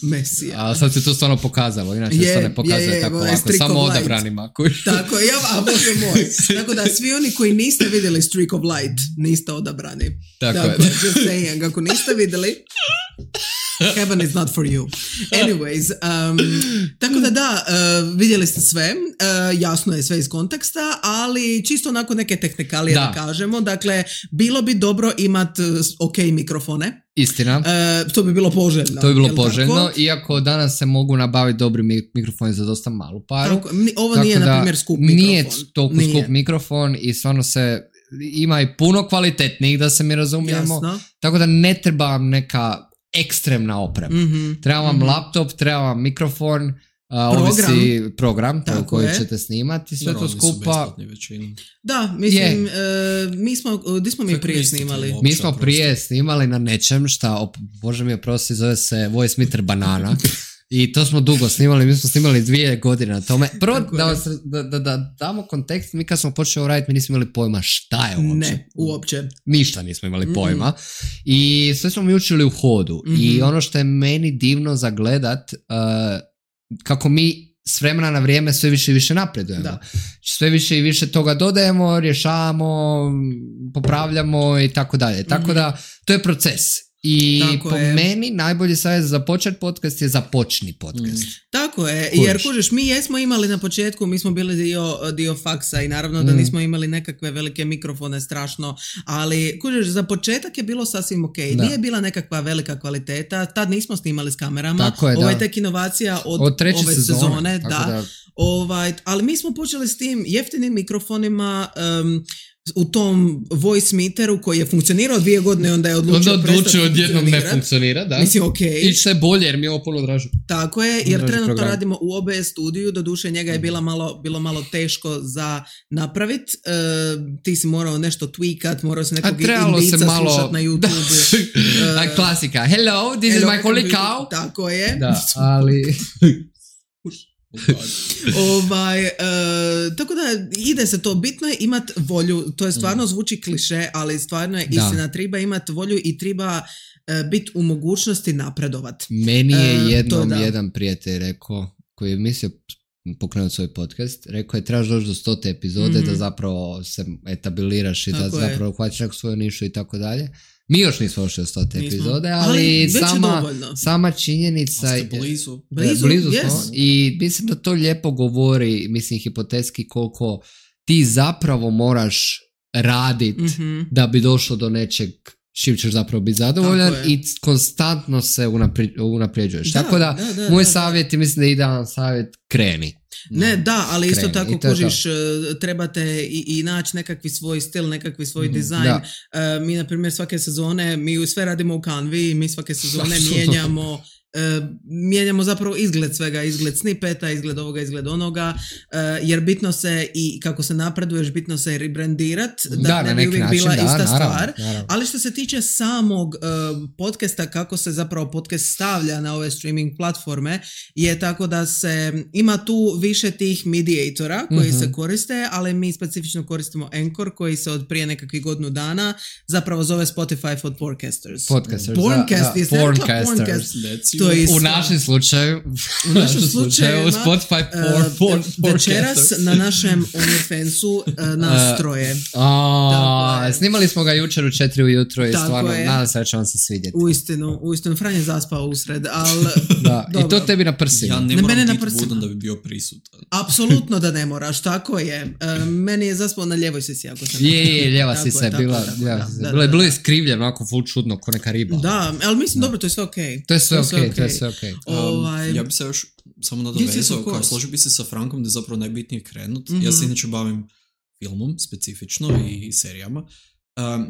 Mesija. A sad se to stvarno pokazalo, inače se to ne pokazuje tako lako, samo odabranima. Tako, Bože moj. Tako da svi oni koji niste vidjeli Streak of Light, niste odabrani. Tako je. Just saying, ako niste vidjeli, heaven is not for you. Anyways, tako da, vidjeli ste sve, jasno je sve iz konteksta, ali čisto onako neke tehnikalije da kažemo. Dakle, bilo bi dobro imati ok mikrofone. Istina. To bi bilo poželjno. To bi bilo poželjno, iako danas se mogu nabaviti dobri mikrofoni za dosta malu paru. Tako, ovo nije, na primjer, skup mikrofon. Nije toliko skup mikrofon i stvarno ima i puno kvalitetnijih, da se mi razumijemo. Jasno. Tako da ne treba vam neka ekstremna oprema. Treba vam laptop, treba vam mikrofon, ovisi program koji ćete snimati, sve to skupa. Da, mislim, gdje smo mi prije snimali? Mi smo prije snimali na nečem šta, Bože mi oprosti, zove se Voice Meter Banana. I to smo dugo snimali, mi smo snimali 2 godine na tome. Prvo, da damo kontekst, mi kad smo počeli raditi, mi nismo imali pojma šta je uopće. Ne, uopće. Ništa nismo imali pojma. I sve smo mi učili u hodu. I ono što je meni divno za gledat, kako mi s vremena na vrijeme sve više i više napredujemo. Da. Sve više i više toga dodajemo, rješavamo, popravljamo i tako dalje. Tako da, to je proces. I Tako po je. meni najbolji savjet za počet podcast je započni podcast. Tako je, Kužiš. jer kužiš, mi jesmo imali na početku, mi smo bili dio faksa i naravno da nismo imali nekakve velike mikrofone strašno, ali kužiš, za početak je bilo sasvim ok. Da. Nije bila nekakva velika kvaliteta, tad nismo snimali s kamerama, Tako je, ovo je da. tek inovacija od treće ove sezone, tako da. Ali mi smo počeli s tim jeftinim mikrofonima, u tom voice meteru koji je funkcionirao 2 godine, onda je odlučio prestati odjednom ne funkcionirati. funkcionira, da. Mislim, ok. I što je bolje jer mi je ovo puno draže. Tako je, jer Draži trenutno program. radimo u OBS studiju, doduše njega je bilo malo teško za napravit. Ti si morao nešto tweakat, morao si nekog indica slušat na YouTube. Klasika. Hello, this is my holy cow. Tako je. Da, ali... Tako da ide se to, bitno je imat volju, to je stvarno zvuči kliše, ali stvarno je istina, treba imat volju i treba biti u mogućnosti napredovat. Meni je jednom to da. jedan prijatelj rekao, koji je mislio pokrenuti svoj podcast, rekao je trebaš doći do 100. epizode da zapravo se etabliraš i da zapravo hvatiš neku svoju nišu i tako dalje. Mi još nismo došli do 100. epizode, ali sama činjenica... A ste blizu. Blizu yes. smo i mislim da to lijepo govori, mislim hipotetski koliko ti zapravo moraš radit da bi došlo do nečeg čim ćeš zapravo biti zadovoljan i konstantno se unapređuješ. Tako da, moj savjet je, mislim da je idealan savjet, kreni. Ne, da, ali isto kreni. tako kužiš, trebate i naći nekakvi svoj stil, nekakvi svoj dizajn. Mi, na primjer, svake sezone, mi sve radimo u Canvi, mi svake sezone mijenjamo zapravo izgled svega, izgled snippeta, izgled ovoga, izgled onoga, jer bitno se i kako se napreduješ, bitno se rebrandirat, da ne bi uvijek bila ista stvar. Ali što se tiče samog podcasta, kako se zapravo podcast stavlja na ove streaming platforme, je tako da se ima tu više tih mediatora koji se koriste, ali mi specifično koristimo Anchor koji se od prije nekakvih godinu dana zapravo zove Spotify for Podcasters. Porncast. U našem slučaju Spotify for večeras na našem OnlyFansu nastroje. Snimali smo ga jučer u 4 ujutro i stvarno nadam se da će vam se svidjeti. Uistinu, Fran je zaspao usred, ali i to tebi na prsima. Ja ne moram biti budan da bi bio prisutan. Apsolutno da ne moraš, tako je. Meni je zaspao na ljevoj sisi, ako sam ljeva sisa bilo je iskrivljeno, onako full čudno, ko neka riba. Da, ali mislim, dobro, to je sve okej. To je sve okej. Ja bi se još samo nadovezao, kao složio bi se sa Frankom da je zapravo najbitnije krenut. Ja se inače bavim filmom specifično i serijama,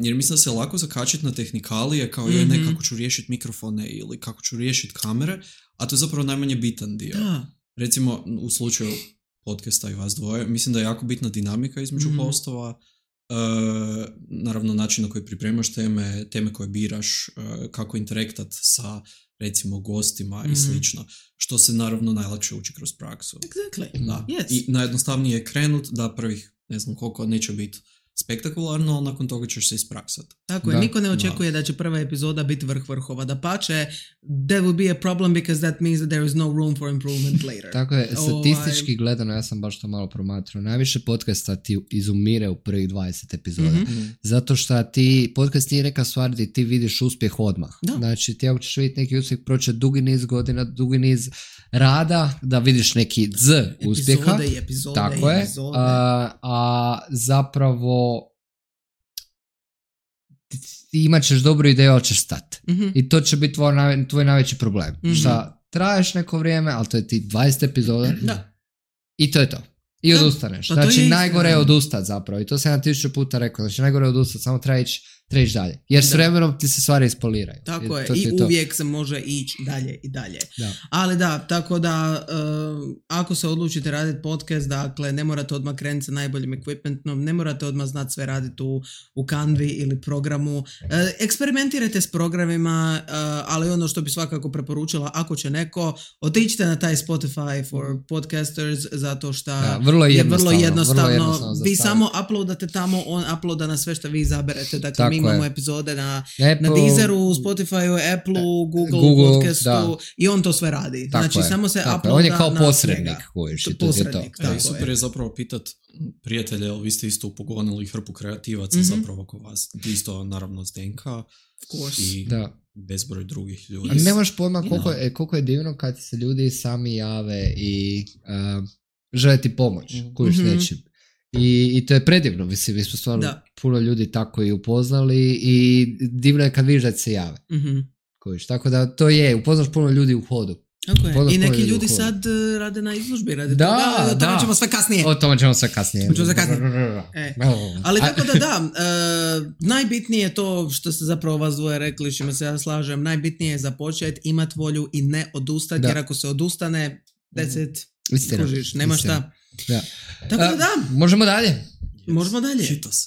jer mislim da se lako zakačiti na tehnikalije kao ne kako ću riješiti mikrofone ili kako ću riješiti kamere, a to je zapravo najmanje bitan dio. Recimo u slučaju podcasta i vas dvoje, mislim da je jako bitna dinamika između hostova, naravno način na koji pripremaš teme koje biraš, kako interaktat sa recimo gostima i slično, što se naravno najlakše uči kroz praksu. Exactly. Da. Yes. I najjednostavnije je krenut da prvih ne znam koliko neće biti spektakularno, ali nakon toga ćeš se ispraksati. Tako je, niko ne očekuje da će prva epizoda biti vrh vrhova. Da pače, there will be a problem because that means that there is no room for improvement later. Tako je, statistički gledano, ja sam baš to malo promatrao, najviše podcasta ti izumire u prvih 20 epizoda. Zato što ti podcast nije neka stvar gdje ti vidiš uspjeh odmah. Da. Znači ti ako ćeš vidjeti neki uspjeh, proće dugi niz godina, dugi niz rada, da vidiš neki uspjeha. Epizode. Tako je. A zapravo ti imat ćeš dobru ideju, ali ćeš stati. I to će biti tvoj najveći problem. Šta traješ neko vrijeme, ali to je ti 20 epizoda i to je to. I odustaneš. Znači najgore je odustat zapravo. I to sam 1000 puta rekao. Znači najgore je odustat, samo treba ići dalje. Jer s vremenom ti se stvari ispoliraju. Tako je. I uvijek se može ići dalje i dalje. Da. Ali da, tako da ako se odlučite raditi podcast, dakle ne morate odmah krenuti sa najboljim equipmentom, ne morate odmah znati sve raditi u Canvi ili programu. Eksperimentirajte s programima, ali ono što bi svakako preporučila, ako će neko, otiđite na taj Spotify for Podcasters, zato što je vrlo jednostavno. Vi samo uploadate tamo, on uploada na sve što vi izaberete. Dakle, mi imamo epizode na Apple, Deezeru, Spotifyu, Appleu, Google podcastu da. i on to sve radi. Tako znači je, samo se tako uploada on je kao na posrednik njega. kojiš i to je Posrednik, to. Da, i tako super je zapravo pitat prijatelje, jel vi ste isto upogonili hrpu kreativaca zapravo oko vas. Ti isto naravno Zdenka i bezbroj drugih ljudi. A nemaš pojma koliko je divno kad ti se ljudi sami jave i žele ti pomoć, kojiš nečim. I to je predivno, mislim, mi smo stvarno puno ljudi tako i upoznali i divno je kad vidiš da se jave. Kojiš, tako da to je, upoznaš puno ljudi u hodu. Okay. I neki ljudi sad rade na izložbi, rade toga, o tome ćemo sve kasnije. O tome ćemo sve kasnije. Ali tako da, najbitnije je to što ste zapravo vas dvoje rekli, čime se ja slažem, najbitnije je započeti, imati volju i ne odustati, jer ako se odustane, kužiš, nema šta. Da. Tako da. Možemo dalje. Možemo dalje. Hitos.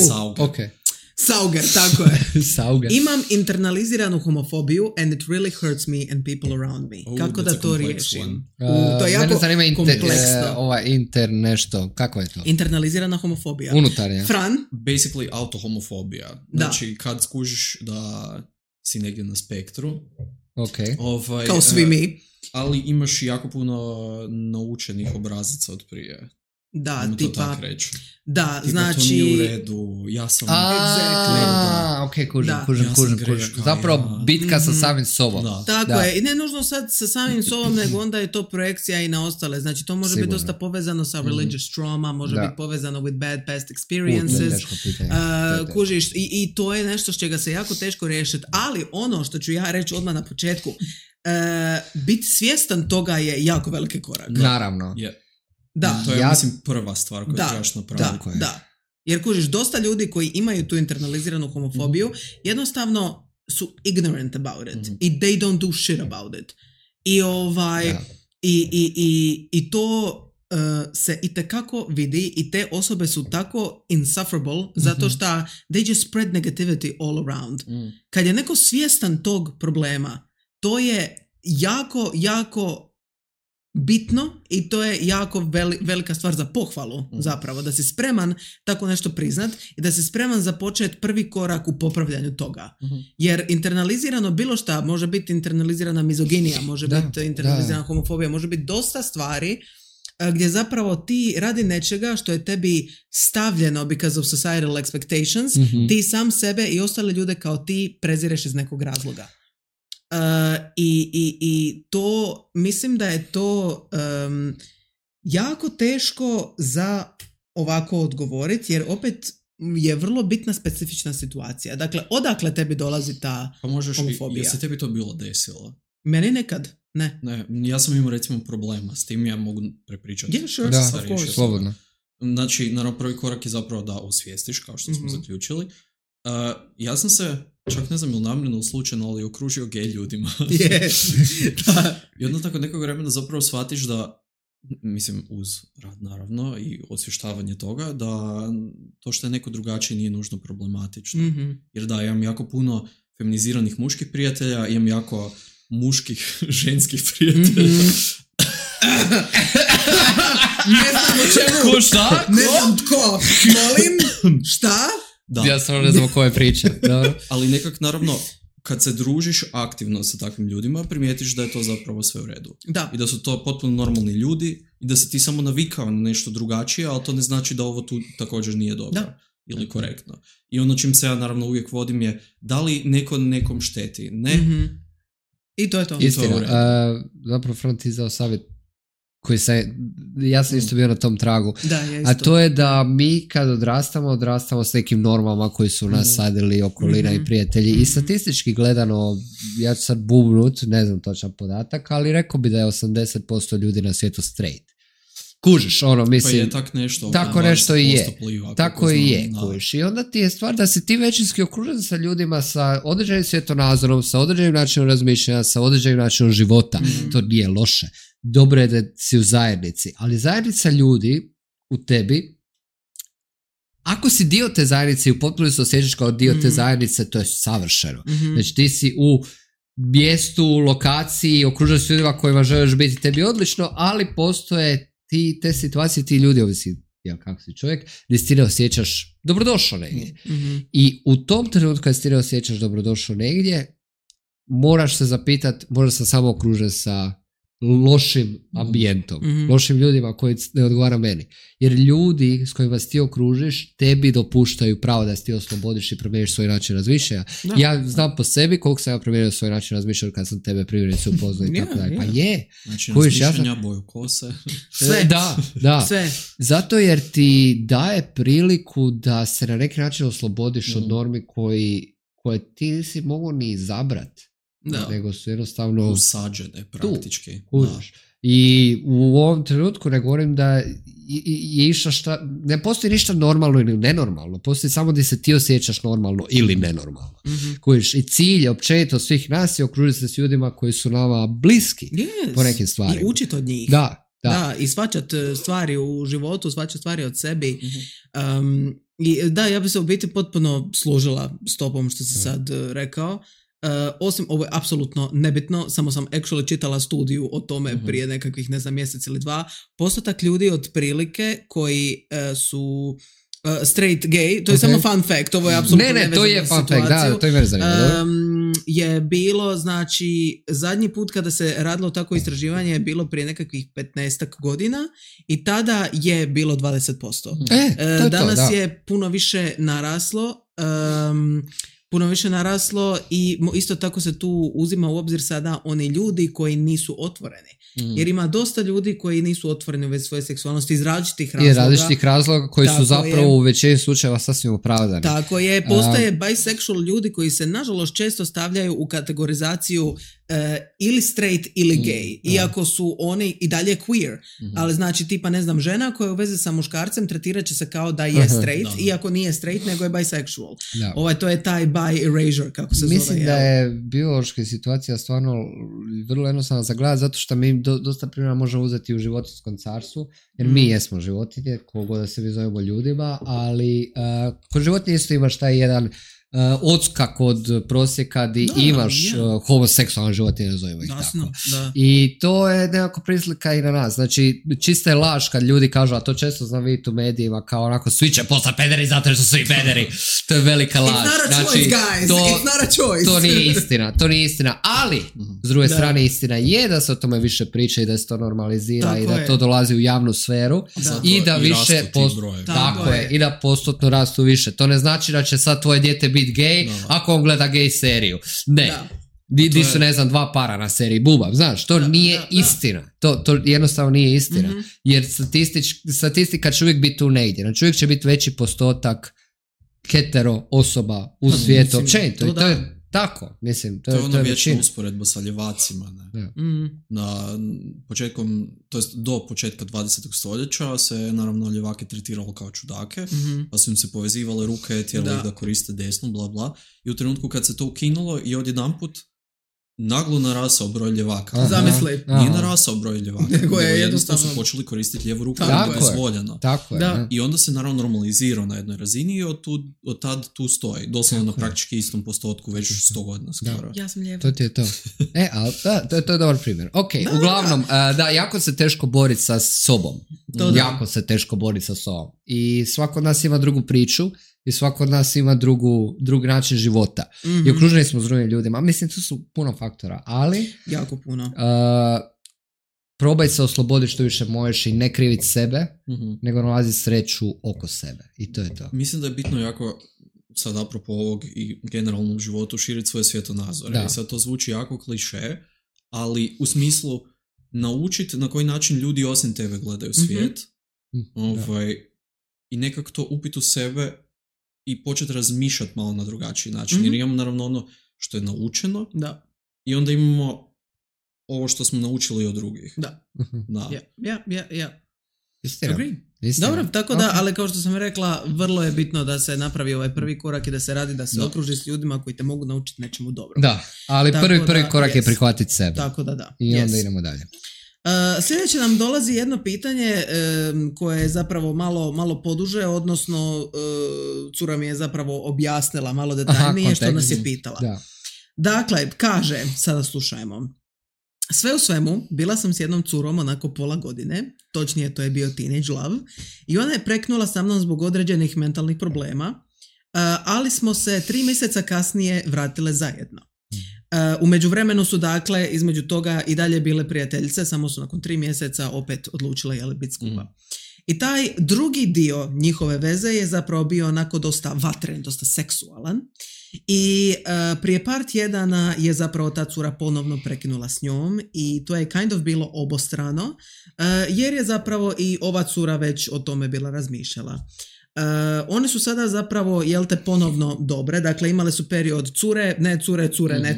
Okay. Sauger, tako je. Sauger. Imam internaliziranu homofobiju and it really hurts me and people around me. Kako da to riješim? To je jako kompleksno. Nešto, kako je to? Internalizirana homofobija. Unutarnja. Fran? Basically autohomofobija. Znači kad skužiš da si negdje na spektru. Okay. Kao svi mi. Ali imaš jako puno naučenih obrazaca od prije. Da, tipa, da, tipa znači... to nije u redu, ja sam... kužim. Zapravo bitka sa samim sobom. Tako je, i ne nužno sad sa samim sobom, nego onda je to projekcija i na ostale. Znači to može biti dosta povezano sa religious trauma, može biti povezano with bad past experiences. Kužiš, i to je nešto s čega se jako teško riješiti, ali ono što ću ja reći odmah na početku, biti svjestan toga je jako veliki korak. Naravno. Da. To je, mislim, prva stvar koju trebaš napraviti. Da. Jer kužiš, dosta ljudi koji imaju tu internaliziranu homofobiju jednostavno su ignorant about it. I they don't do shit about it. I to se itekako vidi i te osobe su tako insufferable zato što they just spread negativity all around. Kad je neko svjestan tog problema, to je jako, jako bitno i to je jako velika stvar za pohvalu zapravo, da si spreman tako nešto priznat i da si spreman započeti prvi korak u popravljanju toga. Jer internalizirano bilo šta, može biti internalizirana mizoginija, može biti internalizirana homofobija, može biti dosta stvari gdje zapravo ti radi nečega što je tebi stavljeno because of societal expectations, ti sam sebe i ostale ljude kao ti prezireš iz nekog razloga. I to, mislim da je to jako teško za ovako odgovoriti, jer opet je vrlo bitna specifična situacija. Dakle, odakle tebi dolazi ta homofobija? Je se tebi to bilo desilo? Meni nekad, ne. Ja sam imao recimo problema s tim, ja mogu prepričati. Yeah, sure, of course. Slobodno. Znači, naravno, prvi korak je zapravo da osvijestiš, kao što smo zaključili. Ja sam se, čak ne znam ili namjerno slučajno, ali okružio gej ljudima. I onda tako nekog vremena zapravo shvatiš da, mislim, uz rad naravno i osvještavanje toga, da to što je neko drugačije nije nužno problematično. Jer da, imam jako puno feminiziranih muških prijatelja, imam jako muških ženskih prijatelja. Ne znam o čemu. Ko šta? Ne znam tko. Molim, šta? Da. Ja sam ne znam o koje priče. Ali nekak, naravno, kad se družiš aktivno sa takvim ljudima, primijetiš da je to zapravo sve u redu. Da. I da su to potpuno normalni ljudi i da se ti samo navikao na nešto drugačije, ali to ne znači da ovo tu također nije dobro ili korektno. I ono čim se ja naravno uvijek vodim je da li neko nekom šteti. Ne. I to je to. Istina. Zapravo Front izdao savjet koji ja sam isto bio na tom tragu. A to je da mi kad odrastamo s nekim normama koji su nas sadili okolina i prijatelji. I statistički gledano, ja ću sad bubnut, ne znam točan podatak, ali rekao bi da je 80% ljudi na svijetu straight. Kužiš, ono, mislim... Pa je tak nešto. Tako nešto i je. Tako i je, kužiš. I onda ti je stvar da si ti većinski okružen sa ljudima sa određenim svjetonazorom, sa određenim načinom razmišljanja, sa određenim načinom života. To nije loše. Dobro je da si u zajednici, ali zajednica ljudi u tebi, ako si dio te zajednice i u potpuno se osjećaš kao dio te zajednice, to je savršeno. Znači ti si u mjestu, lokaciji, okružen s ljudima kojima želiš biti, tebi odlično, ali postoje te situacije, ti ljudi, ovisi jel kako si čovjek, gdje si ti ne osjećaš dobrodošao negdje. I u tom trenutku kad si ti ne osjećaš dobrodošao negdje, moraš se zapitati, možda sam samo okružen sa lošim ambijentom, lošim ljudima koji ne odgovara meni. Jer ljudi s kojima ti okružiš, tebi dopuštaju pravo da se ti oslobodiš i promijeniš svoj način razmišljanja. Da. Ja znam po sebi koliko sam ja promijenio svoj način razmišljanja kad sam tebe primjerice upoznao i tako dalje. Pa je. Znači razmišljanja, boju kose. Sve. Da. Sve. Zato jer ti daje priliku da se na neki način oslobodiš od normi koje ti nisi mogao ni izabrati. Da. Nego su jednostavno usađene praktički. I u ovom trenutku ne govorim da je išta ne postoji ništa normalno ili nenormalno, postoji samo da se ti osjećaš normalno ili nenormalno. Kojiš, i cilj općenito svih nas je okružiti se s ljudima koji su nama bliski po nekim stvarima. I učiti od njih. Da, i shvaćati stvari u životu, shvaćati stvari od sebi. I da, ja bi se u biti potpuno složila s tobom što si sad rekao. Osim, ovo je apsolutno nebitno, samo sam actually čitala studiju o tome prije nekakvih, ne znam, mjesec ili dva. Postotak ljudi otprilike koji su straight gay, to je samo fun fact, ovo je apsolutno nevezano to je fun fact, da, to je mene zanima. Je bilo, znači, zadnji put kada se radilo tako istraživanje je bilo prije nekakvih 15 godina i tada je bilo 20%. Danas je puno više naraslo i isto tako se tu uzima u obzir sada oni ljudi koji nisu otvoreni. Jer ima dosta ljudi koji nisu otvoreni u vezi svoje seksualnosti iz različitih razloga. I različitih razloga koji su zapravo u većini slučajeva sasvim opravdani. Tako je, postoje bisexual ljudi koji se nažalost često stavljaju u kategorizaciju ili straight ili gay, iako su oni i dalje queer. Ali znači tipa, ne znam, žena koja je u vezi sa muškarcem tretirat će se kao da je straight, iako nije straight, nego je bisexual. To je taj bi erasure, kako se zove. Mislim da je biološka situacija stvarno vrlo jednostavna za gledati, zato što mi dosta primjera možemo uzeti u životinjskom carstvu, jer mi jesmo životinje, kogo da se mi zovemo ljudima, ali kod životinje isto imaš taj jedan odskak od prosjeka di imaš homoseksualne životinje, nazovimo ih tako. I to je nekako prislika i na nas. Znači, čista je laž kad ljudi kažu, a to često znam vidjeti u medijima, kao onako, svi će postati pederi zato jer su svi pederi. To je velika laž. It's not a choice, guys. It's not a choice. To nije istina. Ali, s druge strane, istina je da se o tome više priča i da se to normalizira tako i da to dolazi u javnu sferu i da više i da postotno rastu više. To ne znači da će sad tvoje dijete biti gay ako on gleda gay seriju. Ne. Di su, ne znam, 2 para na seriji Bubav, znaš, to nije istina. To jednostavno nije istina. Jer statistika će uvijek biti tu negdje. Znači uvijek će biti veći postotak hetero osoba u svijetu. Općenito. To je tako, mislim. To je ona vječna usporedba sa ljevacima. Na početkom, to jest do početka 20. stoljeća se naravno ljevake tretiralo kao čudake, pa su im se povezivale ruke, tjerali ih da koriste desnu, bla bla. I u trenutku kad se to ukinulo i odjedanput naglo narasao broj ljevaka. Zamisli. Nije narasao broj ljevaka. Nego je jednostavno su počeli koristiti lijevu ruku da je dozvoljeno. Tako je. I onda se naravno normalizirao na jednoj razini i od tad tu stoji. Doslovno na praktički istom postotku već 100 godina skoro. Ja sam lijeva. To ti je to. Ali to je dobar primjer. Ok, uglavnom, jako se teško boriti sa sobom. Jako se teško boriti sa sobom. I svako od nas ima drugu priču. I svako od nas ima drugi način života. I okruženi smo s drugim ljudima. Mislim, tu su puno faktora, ali jako puno. Probaj se osloboditi što više možeš i ne kriviti sebe, nego nalazi sreću oko sebe. I to je to. Mislim da je bitno jako, sad apropo ovog i generalnom životu, širiti svoje svjetonazore. I sad to zvuči jako kliše, ali u smislu naučiti na koji način ljudi osim tebe gledaju svijet. I nekako to upiti u sebe i početi razmišljati malo na drugačiji način. Jer imamo naravno ono što je naučeno i onda imamo ovo što smo naučili od drugih. Istina. Dobro, tako da, ali kao što sam rekla, vrlo je bitno da se napravi ovaj prvi korak i da se radi, da se okruži s ljudima koji te mogu naučiti nečemu dobro. Da, ali prvi korak je prihvatiti sebe. Tako da. I onda idemo dalje. Sljedeće nam dolazi jedno pitanje koje je zapravo malo poduže, odnosno cura mi je zapravo objasnila malo detaljnije što nas je pitala. Dakle, kaže, sada slušajmo. Sve u svemu, bila sam s jednom curom onako pola godine, točnije to je bio teenage love, i ona je preknula sa mnom zbog određenih mentalnih problema, ali smo se 3 mjeseca kasnije vratile zajedno. U međuvremenu su dakle između toga i dalje bile prijateljice, samo su nakon 3 mjeseca opet odlučile biti skupa. I taj drugi dio njihove veze je zapravo bio onako dosta vatren, dosta seksualan, i prije par tjedana je zapravo ta cura ponovno prekinula s njom i to je kind of bilo obostrano, jer je zapravo i ova cura već o tome bila razmišljala. One su sada zapravo, ponovno dobre, dakle imale su period cure, ne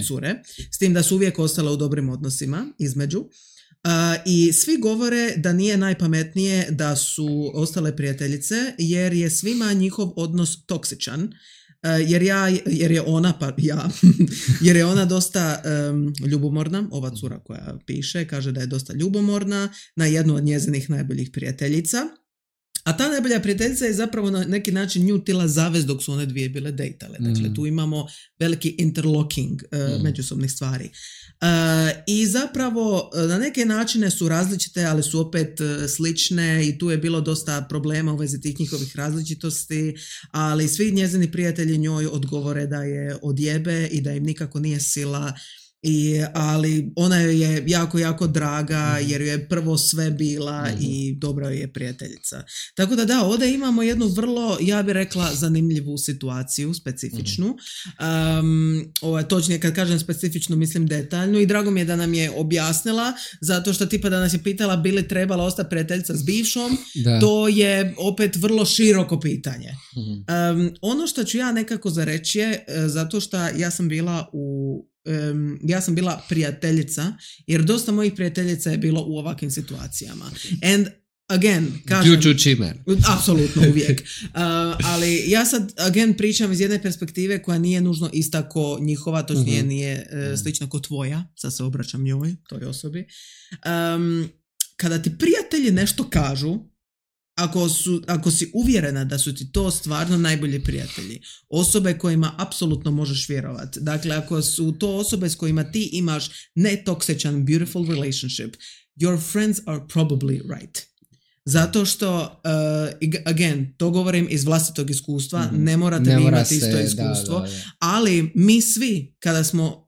cure, s tim da su uvijek ostale u dobrim odnosima između. I svi govore da nije najpametnije da su ostale prijateljice jer je svima njihov odnos toksičan, jer je ona dosta ljubomorna, ova cura koja piše kaže da je dosta ljubomorna na jednu od njezinih najboljih prijateljica. A ta najbolja prijateljica je zapravo na neki način nju tila zavez dok su one dvije bile dejtale. Dakle, tu imamo veliki interlocking međusobnih stvari. I zapravo na neke načine su različite, ali su opet slične i tu je bilo dosta problema u vezi tih njihovih različitosti, ali svi njezini prijatelji njoj odgovore da je odjebe i da im nikako nije sila. Ali ona je jako, jako draga jer joj je prvo sve bila i dobra je prijateljica. Tako da ovdje imamo jednu vrlo, ja bih rekla, zanimljivu situaciju, specifičnu. Točnije kad kažem specifičnu, mislim detaljnu, i drago mi je da nam je objasnila, zato što tipa da nas je pitala bi li trebala ostati prijateljica s bivšom, to je opet vrlo široko pitanje. Ono što ću ja nekako zareći je, zato što ja sam bila prijateljica, jer dosta mojih prijateljica je bilo u ovakvim situacijama. And again, kažem... Apsolutno, uvijek. Ali ja sad, again, pričam iz jedne perspektive koja nije nužno ista ko njihova, točnije nije slična ko tvoja, sad se obraćam njoj, toj osobi. Kada ti prijatelji nešto kažu, ako si uvjerena da su ti to stvarno najbolji prijatelji, osobe kojima apsolutno možeš vjerovati, dakle ako su to osobe s kojima ti imaš netoksičan beautiful relationship, your friends are probably right. Zato što, again, to govorim iz vlastitog iskustva, ne morate imati isto iskustvo, ali mi svi kada smo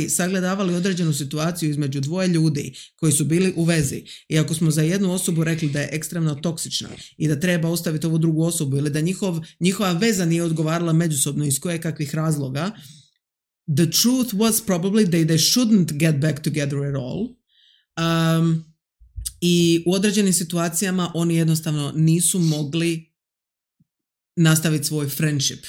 sagledavali određenu situaciju između dvoje ljudi koji su bili u vezi i ako smo za jednu osobu rekli da je ekstremno toksična i da treba ostaviti ovu drugu osobu ili da njihova veza nije odgovarala međusobno iz kakvih razloga, the truth was probably that they shouldn't get back together at all. I u određenim situacijama oni jednostavno nisu mogli nastaviti svoj friendship.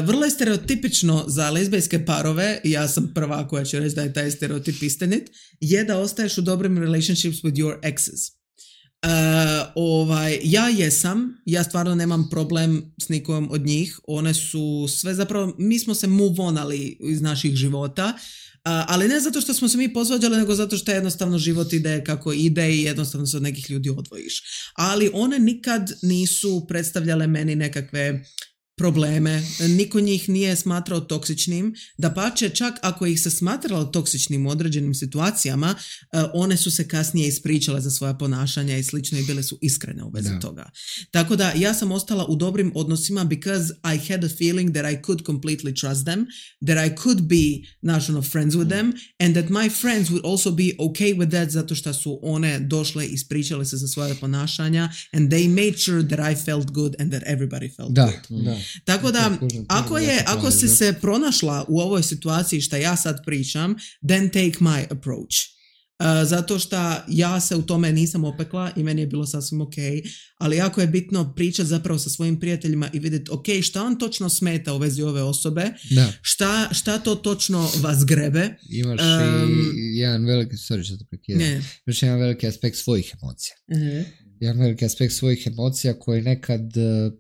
Vrlo je stereotipično za lezbijske parove, ja sam prva koja će reći da je taj stereotip istinit, je da ostaješ u dobrim relationships with your exes. Ja stvarno nemam problem s nikom od njih, one su sve zapravo, mi smo se move onali iz naših života, ali ne zato što smo se mi posvađali, nego zato što jednostavno život ide kako ide i jednostavno se od nekih ljudi odvojiš. Ali one nikad nisu predstavljale meni nekakve probleme, niko njih nije smatrao toksičnim, dapače čak ako ih se smatralo toksičnim u određenim situacijama, one su se kasnije ispričale za svoja ponašanja i slično i bile su iskrene u vezi toga. Tako da ja sam ostala u dobrim odnosima because I had a feeling that I could completely trust them, that I could be national friends with them and that my friends would also be okay with that zato što su one došle i ispričale se za svoje ponašanja and they made sure that I felt good and that everybody felt good. Da. Tako da, ako si se pronašla u ovoj situaciji što ja sad pričam, then take my approach. Zato što ja se u tome nisam opekla i meni je bilo sasvim ok, ali jako je bitno pričati zapravo sa svojim prijateljima i vidjeti ok, šta vam točno smeta u vezi ove osobe, šta to točno vas grebe. Imaš i jedan veliki, imaš jedan veliki aspekt svojih emocija. Jedan veliki aspekt svojih emocija koji nekad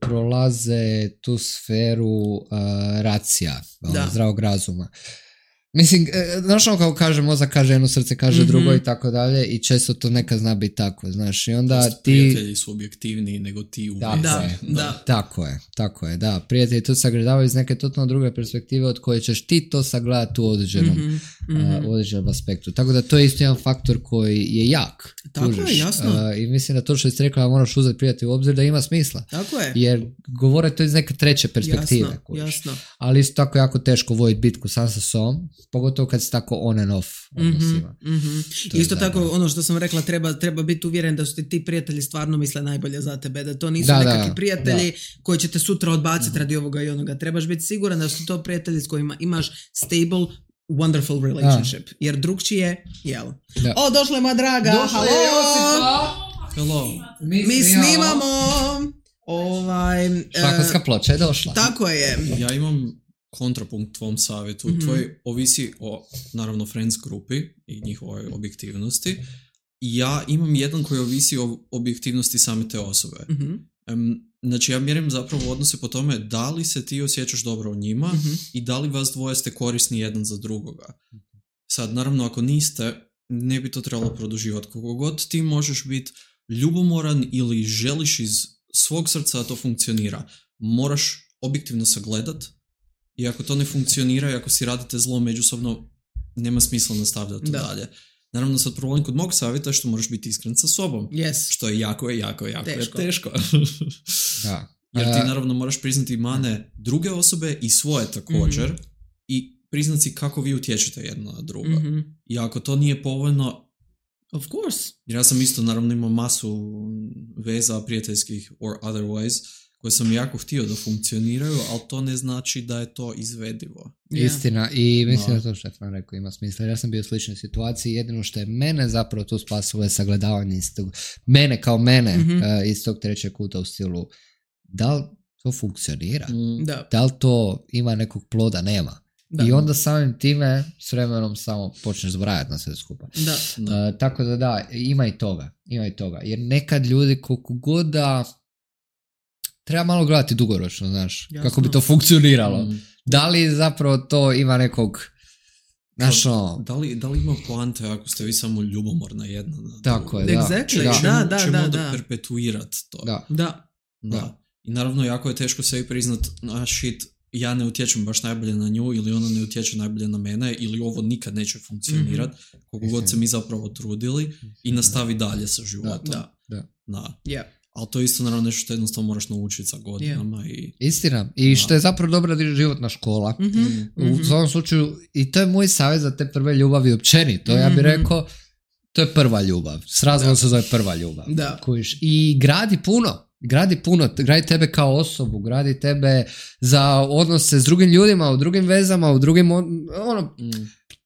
prolaze tu sferu racija, zdravog razuma. Mislim, znaš ono kao kaže mozak, kaže jedno, srce kaže drugo i tako dalje i često to nekad zna biti tako, znaš, i onda ti... Prijatelji su objektivniji nego ti u vezi. Tako je, da. Prijatelji to sagledavaju iz neke totalno druge perspektive od koje ćeš ti to sagledati u određenom aspektu. Tako da to je isto jedan faktor koji je jak. Tako je, jasno. I mislim da to što si rekla moraš uzeti prijatelj u obzir da ima smisla. Tako je. Jer govore to iz neke treće perspektive. Jasno. Ali isto tako jako teško voditi bitku sam sa sobom, pogotovo kad si tako on and off odnosima. Isto tako, ono što sam rekla, treba biti uvjeren da su ti prijatelji stvarno misle najbolje za tebe, da to nisu nekakvi prijatelji koji će te sutra odbaciti radi ovoga i onoga. Trebaš biti siguran da su to prijatelji s kojima imaš stable, wonderful relationship. Jer drugčije, jel? Da. O, došla je moja draga! Došla je Josipa! Hello! Mi snimamo! Šlakonska ploča je došla. Tako je. Ja imam kontrapunkt tvom savjetu. Tvoj ovisi o, naravno, friends grupi i njihovoj objektivnosti. Ja imam jedan koji ovisi o objektivnosti same te osobe. Znači, ja mjerim zapravo odnose po tome da li se ti osjećaš dobro u njima i da li vas dvoje ste korisni jedan za drugoga. Sad, naravno, ako niste, ne bi to trebalo produživati. Koliko god ti možeš biti ljubomoran ili želiš iz svog srca da to funkcionira, moraš objektivno sagledat i ako to ne funkcionira i ako si radite zlo međusobno, nema smisla nastavljati dalje. Naravno, sad problem kod mog savjeta je što moraš biti iskren sa sobom. Što je jako teško. Da. Jer ti naravno moraš priznati mane druge osobe i svoje također i priznati si kako vi utječete jedno na drugo. I ako to nije povoljno, of course. Jer ja sam isto naravno imao masu veza prijateljskih or otherwise koje sam jako htio da funkcioniraju, ali to ne znači da je to izvedivo. Istina, i mislim da to što je Fran rekao ima smisla. Ja sam bio u sličnoj situaciji, jedino što je mene zapravo tu spasilo je sagledavanje iz tog, mene kao mene iz tog trećeg kuta u stilu, da li to funkcionira? Da li to ima nekog ploda? Nema. I onda samim time s vremenom samo počneš zbrajati na sve skupa. Tako da, ima i toga. Jer nekad ljudi koliko god da treba malo gledati dugoročno, znaš, kako bi to funkcioniralo. Da li zapravo to ima nekog Da li ima poante ako ste vi samo ljubomorna jedna? Tako je, da. Čemu da perpetuirat to? Da. I naravno jako je teško sebi priznat, ja ne utječem baš najbolje na nju ili ona ne utječe najbolje na mene ili ovo nikad neće funkcionirati, koliko god se mi zapravo trudili i nastavi dalje sa životom. Ali to je isto naravno nešto što jednostavno moraš naučiti sa godinama. Istina. I što je zapravo dobra životna škola. U svom slučaju, i to je moj savjet za te prve ljubavi općenito. Ja bih rekao, to je prva ljubav. S razlogom se zove prva ljubav. I gradi gradi tebe kao osobu, gradi tebe za odnose s drugim ljudima, u drugim vezama, u drugim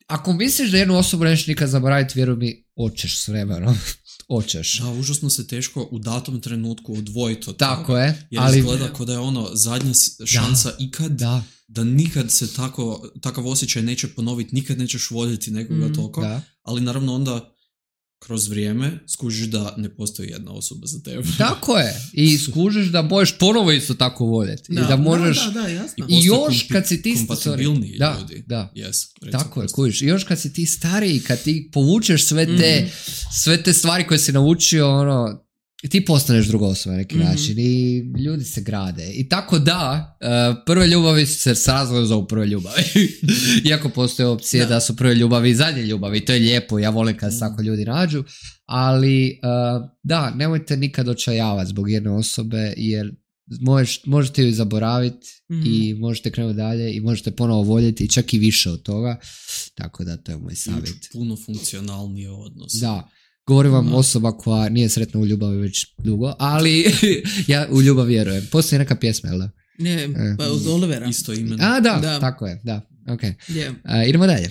ako misliš da jednu osobu nećeš nikad zaboraviti, vjeruj mi, hoćeš s vremenom. Hoćeš. Da, užasno se teško u datom trenutku odvojiti od tako toga. Je. Jer ali izgleda kao da je zadnja šansa ikad da nikad se takav osjećaj neće ponoviti, nikad nećeš voljeti nekoga toliko. Ali naravno onda kroz vrijeme skužiš da ne postoji jedna osoba za tebe. Tako je. I skužiš da možeš ponovo isto tako voljeti. I da možeš... jasno. I još kad si ti... kompatibilni ljudi. Tako je, skužiš. I još kad si ti stariji, kad ti povučeš sve te stvari koje si naučio, ti postaneš druga osoba na neki način i ljudi se grade. I tako da, prve ljubavi se s razlogom zovu prve ljubavi. Iako postoje opcije da su prve ljubavi i zadnje ljubavi. To je lijepo, ja volim kad se tako ljudi nađu. Ali nemojte nikad očajavati zbog jedne osobe, jer možete ju zaboraviti i možete krenuti dalje i možete ponovo voljeti čak i više od toga. Tako da, to je moj savjet. Puno funkcionalnije odnos. Da. Govorim vam osoba koja nije sretna u ljubavi već dugo, ali ja u ljubav vjerujem. Postoji neka pjesma, jel da? Ne, pa od Olivera. Isto ime. Da, tako je, da. Okay. Idemo dalje.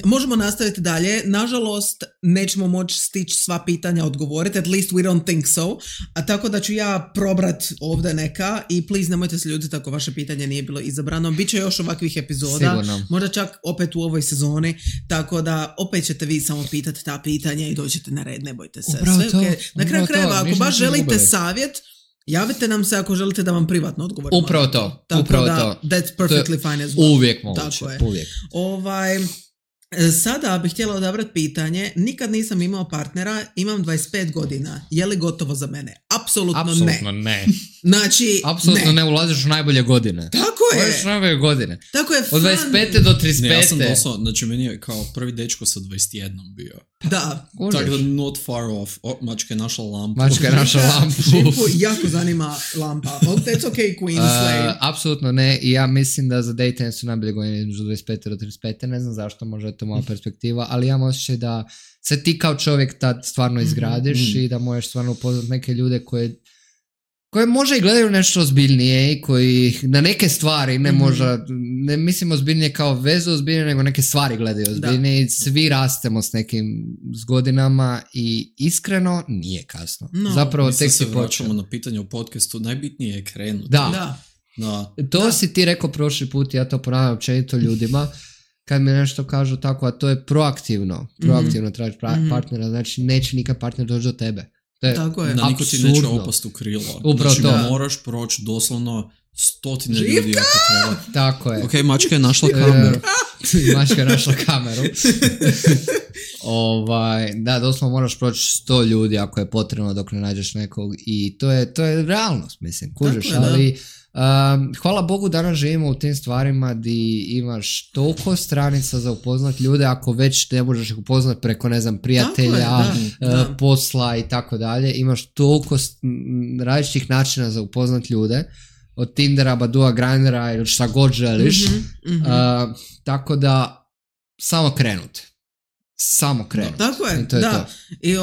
Možemo nastaviti dalje. Nažalost, nećemo moći stići sva pitanja odgovoriti. At least we don't think so. A tako da ću ja probrat ovdje neka i please nemojte se ljutiti ako vaše pitanje nije bilo izabrano. Biće još ovakvih epizoda. Sigurno. Možda čak opet u ovoj sezoni. Tako da opet ćete vi samo pitati ta pitanja i dođete na red. Ne bojte se. Upravo sve to, okay. Na kraju krajeva, ako baš želite savjet, Javite nam se ako želite da vam privatno odgovorimo. Upravo to. Tako upravo da, to. that's perfectly fine as well. Uvijek moguće. Tako je. Uvijek. Sada bih htjela odabrati pitanje. Nikad nisam imao partnera, imam 25 godina. Je li gotovo za mene? Apsolutno ne. Znači, apsolutno ne ulaziš u najbolje godine. Tako je. Ulaziš u najbolje godine. Tako je. Od 25. do 35. Ne, ja sam doslovno, znači meni je kao prvi dečko sa 21 bio. Da. Tako da not far off. Mačka je našla lampu. Živku jako zanima lampa. That's okay, Queen Slay. Apsolutno ne. I ja mislim da za dating su najbolje godine između 25. do 35. Ne znam zašto, možda je to moja perspektiva, ali ja imam osjećaj da se ti kao čovjek tad stvarno izgradiš i da možeš stvarno upoznat neke ljude koje možda i gledaju nešto ozbiljnije i koji na neke stvari ne mislim ozbiljnije kao vezu ozbiljnije, nego neke stvari gledaju ozbiljnije i svi rastemo s nekim godinama i iskreno nije kasno. No. Zapravo tek si vraćamo na pitanje u podcastu, najbitnije je krenuti. Da. To si ti rekao prošli put, ja to ponavljam općenito ljudima, kad mi nešto kažu tako, a to je proaktivno tražiš partnera, znači neće nikad partner doći do tebe. Tako je. Da niko ti neće opast u krilo. Upravo znači to. Moraš proći doslovno 100 ljudi ako treba. Tako je. Ok, mačka je našla kameru. Mačka je našla kameru. Da, doslovno moraš proći 100 ljudi ako je potrebno dok ne nađeš nekog i to je realnost, mislim, kužiš, ali hvala Bogu danas živimo u tim stvarima di imaš toliko stranica za upoznat ljude, ako već ne možeš ih upoznat preko, ne znam, prijatelja, posla i tako dalje, imaš toliko različitih načina za upoznat ljude, od Tindera, Badua, Grindera ili šta god želiš, tako da samo krenuti. Tako je, da. I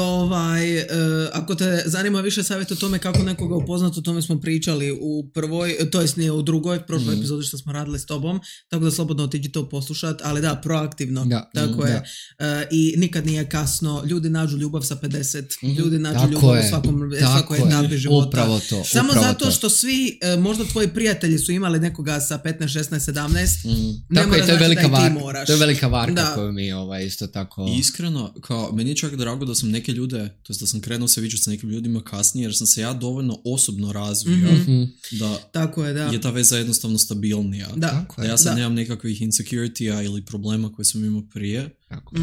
ako te zanima više savjeta o tome kako nekoga upoznati, o tome smo pričali u prvoj, to jest nije u drugoj, prošloj epizodi što smo radili s tobom, tako da slobodno otiđi to poslušati, ali da, proaktivno, tako je. I nikad nije kasno, ljudi nađu ljubav sa 50, ljudi nađu ljubav u svakoj etapi života. Upravo to. Samo zato što svi, možda tvoji prijatelji su imali nekoga sa 15, 16, 17, ne mora znači da i ti moraš. To je velika varka koju mi isto tako... Iskreno, kao, meni je čak drago da sam neke ljude, to jest da sam krenuo se viđati sa nekim ljudima kasnije, jer sam se ja dovoljno osobno razvio da, tako je ta veza jednostavno stabilnija. Da ja sad nemam nekakvih insecurity-a ili problema koje sam imao prije. Tako.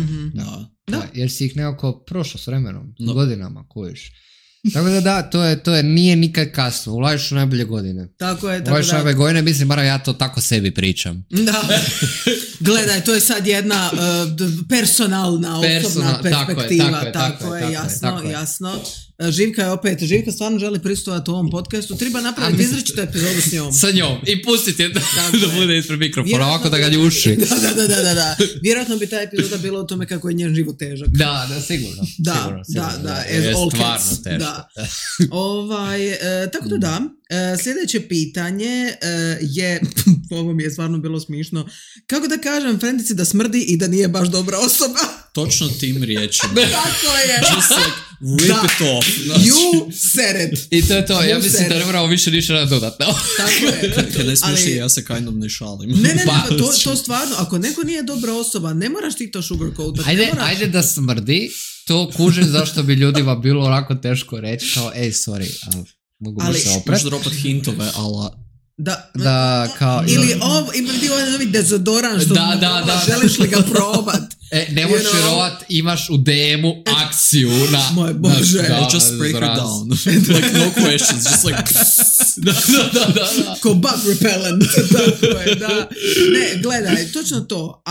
Da, jer si ih nekako prošao s vremenom, godinama, kojiš. Tako da, to je, nije nikad kasno, ulažiš u najbolje godine. Tako je, ulažiš u najbolje godine, mislim, bar ja to tako sebi pričam. Da, gledaj, to je sad jedna personalna, osobna perspektiva, tako je, jasno. Živka stvarno želi prisustvovati u ovom podcastu, treba napraviti izričitu epizodu s njom. Sa njom i pustiti je da bude ispred mikrofona, ovako da ga ljuši. Da. Vjerojatno bi ta epizoda bila o tome kako je njen život težak. Da, sigurno. Da, as all cats. Da. Tako da, sljedeće pitanje je, ovo mi je stvarno bilo smišno, kako da kažem frendici da smrdi i da nije baš dobra osoba? Točno tim riječima. Tako je. Just like rip it off. You said it. I to je to, ja mislim da ne moramo više ništa dodatno. Tako je. Kad ne smiješ ja se kind of ne šalim. Ne, to stvarno, ako neko nije dobra osoba, ne moraš ti to sugarcoat. Ajde da smrdi, to kužim zašto bi ljudima bilo onako teško reći, kao sorry, mogu se opret. Možeš dropat hintove, ala... Da, kao... Ili ima ti ovaj novi dezodoran što želiš li ga probat. Ne možeš vjerovat, imaš u DM-u akciju na... Moj Bože. Just break her down. Like no questions, just like... Da. Ko bug repellent. Tako je, da. Ne, gledaj, točno to.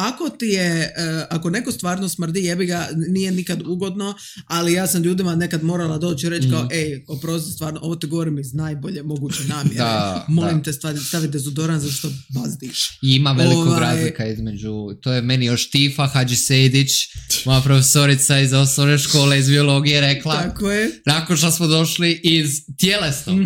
Ako neko stvarno smrdi, jebi ga, nije nikad ugodno, ali ja sam ljudima nekad morala doći i reći kao, oprosti, stvarno, ovo te govorim iz najbolje moguće namjere. Molim te stavi dezodoran zašto bazdiš. I ima velikog razlika između, to je meni još Tifa Hadži Sejdić, moja profesorica iz osnovne škole iz biologije rekla, tako je. Nakon što smo došli iz tjelesnog,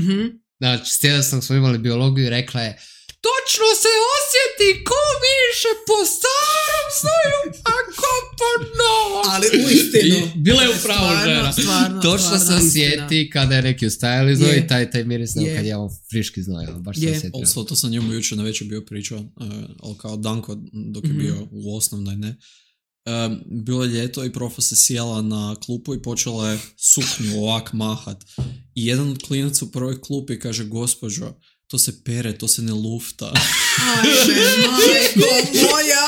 znači s tjelesnog smo imali biologiju i rekla je, točno se osjeti ko više po starom snoju, ako po novom. Ali uistinu. Bila je upravo žena. Točno se osjeti kada je neki ustajali znoj i taj miris kad je ovo friški znoj. Baš se osjetio. Also, to sam njemu jučer na večer bio pričao, ali kao Danko dok je bio u osnovnoj, ne. bilo je ljeto i profa se sjela na klupu i počela je suknju ovak mahat. I jedan od klinaca u prvoj klupi kaže, gospođo, to se pere, to se ne lufta. Ajme, majko moja!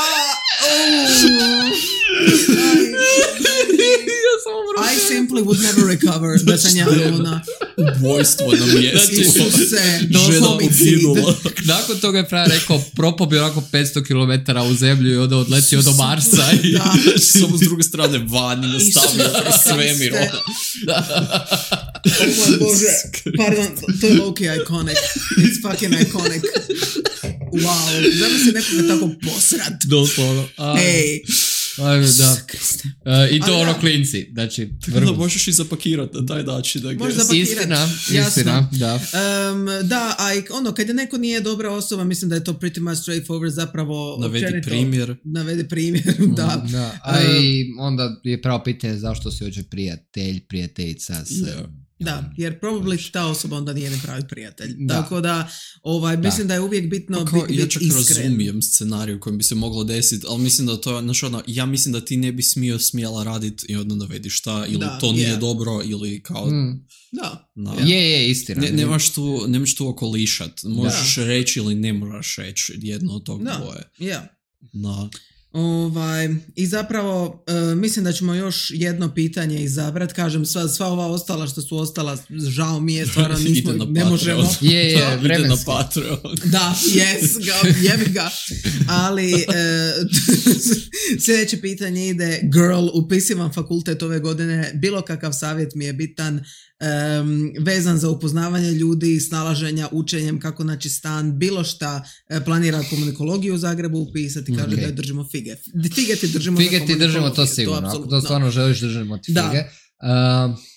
I simply would never recover da sam ja ona ubojstvo na mjestu. Isuse, žena poginula. Nakon toga je pravi rekao, propao bi onako 500 km u zemlju i onda odletio do Marsa. I samo s druge strane vani nastavio kroz svemir. Oh moj Bože, pardon, to je low-key iconic. It's fucking iconic. Wow, znam se nekoga tako posrat. doslovno. Ej. Da. I to ono klinci. Znači, da možeš i zapakirati na taj način. Istina, da. Da, a ono, kad je neko nije dobra osoba, mislim da je to pretty much straightforward, zapravo Navedi primjer, da. A i onda je pravo pitanje zašto si hoće prijateljica se... Da, jer probably ta osoba onda nije ne pravi prijatelj. Tako da, mislim da je uvijek bitno biti iskren. Ja čak razumijem scenarij u kojem bi se moglo desiti, ali mislim da to je, ja mislim da ti ne bi smjela raditi i onda navedi šta, ili to nije dobro, ili kao... Da. Je, istina. Nemaš tu okolišat. Možeš reći ili ne moraš reći jedno od tog dvoje. Da. I zapravo mislim da ćemo još jedno pitanje izabrati. Kažem, sva ova ostala što su ostala, žao mi je, stvarno nismo, ne možemo. Ide na Patreon. Da, jebi ga. Ali sljedeće pitanje ide, girl, upisivam fakultet ove godine, bilo kakav savjet mi je bitan, vezan za upoznavanje ljudi, snalaženja, učenjem, kako naći stan, bilo šta, planira komunikologiju u Zagrebu upisati, kaže da je držimo fige. Fige ti držimo to sigurno, ako to stvarno želiš držimo ti fige.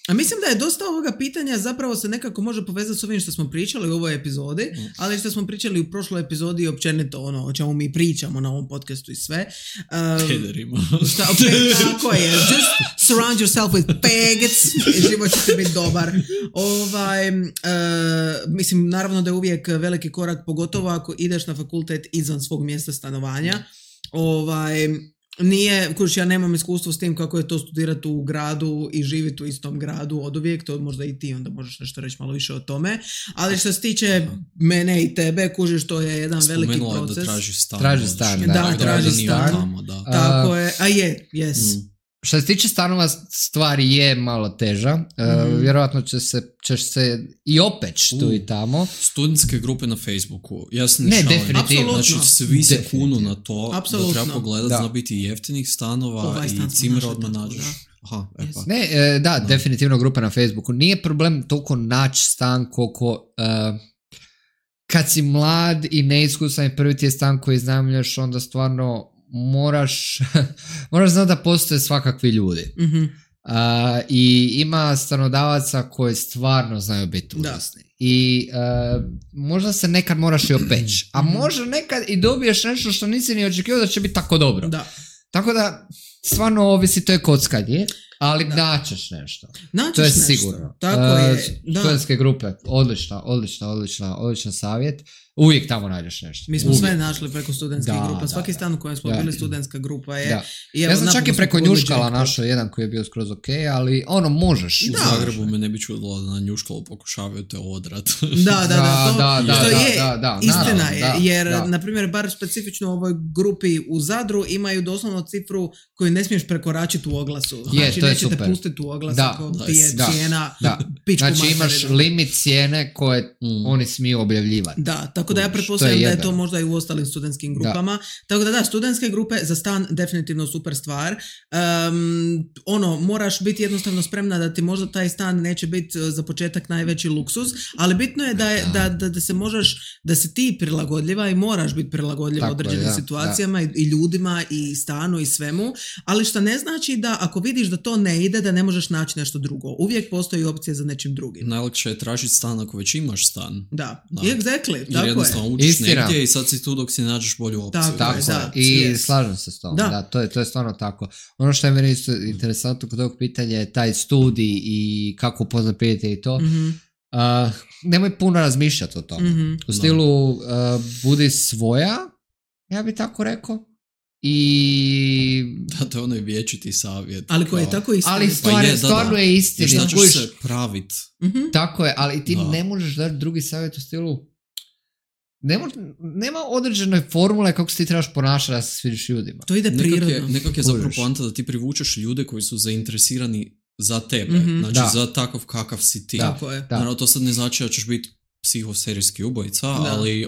A mislim da je dosta ovoga pitanja zapravo se nekako može povezati s ovim što smo pričali u ovoj epizodi, ali što smo pričali u prošloj epizodi općenito ono o čemu mi pričamo na ovom podcastu i sve. Pederima. Tako je. Just surround yourself with faggots i život će biti dobar. Mislim, naravno da je uvijek veliki korak, pogotovo ako ideš na fakultet izvan svog mjesta stanovanja. Nije, ja nemam iskustvo s tim kako je to studirati u gradu i živjeti u istom gradu od uvijek, to možda i ti onda možeš nešto reći malo više o tome, ali što se tiče mene i tebe, kužiš, to je jedan veliki proces. Da traži stan. Traži stan. Tako je, yes. Što se tiče stanova, stvari je malo teža. Vjerojatno ćeš se i opeć tu i tamo. Studentske grupe na Facebooku. Ja se ne šalim. Definitivno. Znači, svi se kunu na to. Apsolutno. Da treba pogledati, zna biti jeftinih stanova i cimera odmah nađeš. Definitivno grupa na Facebooku. Nije problem toliko naći stan koliko... kad si mlad i neiskusan i prvi ti je stan koji iznajmljuješ, onda stvarno moraš znati da postoje svakakvi ljudi. I ima stanodavaca koji stvarno znaju biti užasni. I možda se nekad moraš i opeći. A možda nekad i dobiješ nešto što nisi ni očekivao da će biti tako dobro. Tako da stvarno ovisi, to je kockanje, ali naćeš nešto. To je nešto. Sigurno. Tako je. Studentske grupe, odličan savjet. Uvijek tamo nađeš nešto. Mi smo sve našli preko studentskih grupa. Svaki stan u kojem smo bili studentska grupa je... Ja sam čak i preko Njuškala našao jedan koji je bio skroz ok, ali ono možeš. U Zagrebu me ne bi čudilo da na Njuškalu pokušavaju te odrat. Istina je, jer na primjer bar specifično u ovoj grupi u Zadru imaju doslovno cifru koju ne smiješ prekoračiti u oglasu. Znači nećete pustiti u oglas ako ti je cijena pičku materinu. Znači imaš limit cijene koje oni smiju objavljivati. Tako da ja pretpostavljam da je to možda i u ostalim studentskim grupama. Tako da studentske grupe za stan definitivno super stvar. Moraš biti jednostavno spremna da ti možda taj stan neće biti za početak najveći luksuz, ali bitno je da se možeš, da se ti prilagodljiva i moraš biti prilagodljiva određenim situacijama i ljudima i stanu i svemu, ali što ne znači da ako vidiš da to ne ide, da ne možeš naći nešto drugo. Uvijek postoji opcija za nečim drugim. Najlakše je tražiti stan ako već imaš stan. Exactly. Jer jednostavno učiš negdje i sad si tu dok si nađeš bolju opciju. I slažem se s tom. To je stvarno tako. Ono što je meni isto interesantno kod ovog pitanja je taj studij i kako upoznat prijatelje i to. Nemoj puno razmišljati o tome. U stilu budi svoja, ja bi tako rekao. i... Da, to je onaj vječiti savjet. Ali koji je tako istina. Ali stvarno je istina. Šta ćeš se pravit? Tako je, ali ti ne možeš dati drugi savjet u stilu... Nema određene formule kako se ti trebaš ponašati da se svidiš ljudima. To ide prirodno. Nekak je zapravo poanta da ti privučeš ljude koji su zainteresirani za tebe. Znači za takav kakav si ti. Tako je. Naravno, to sad ne znači da ćeš biti psihoserijski ubojica, ali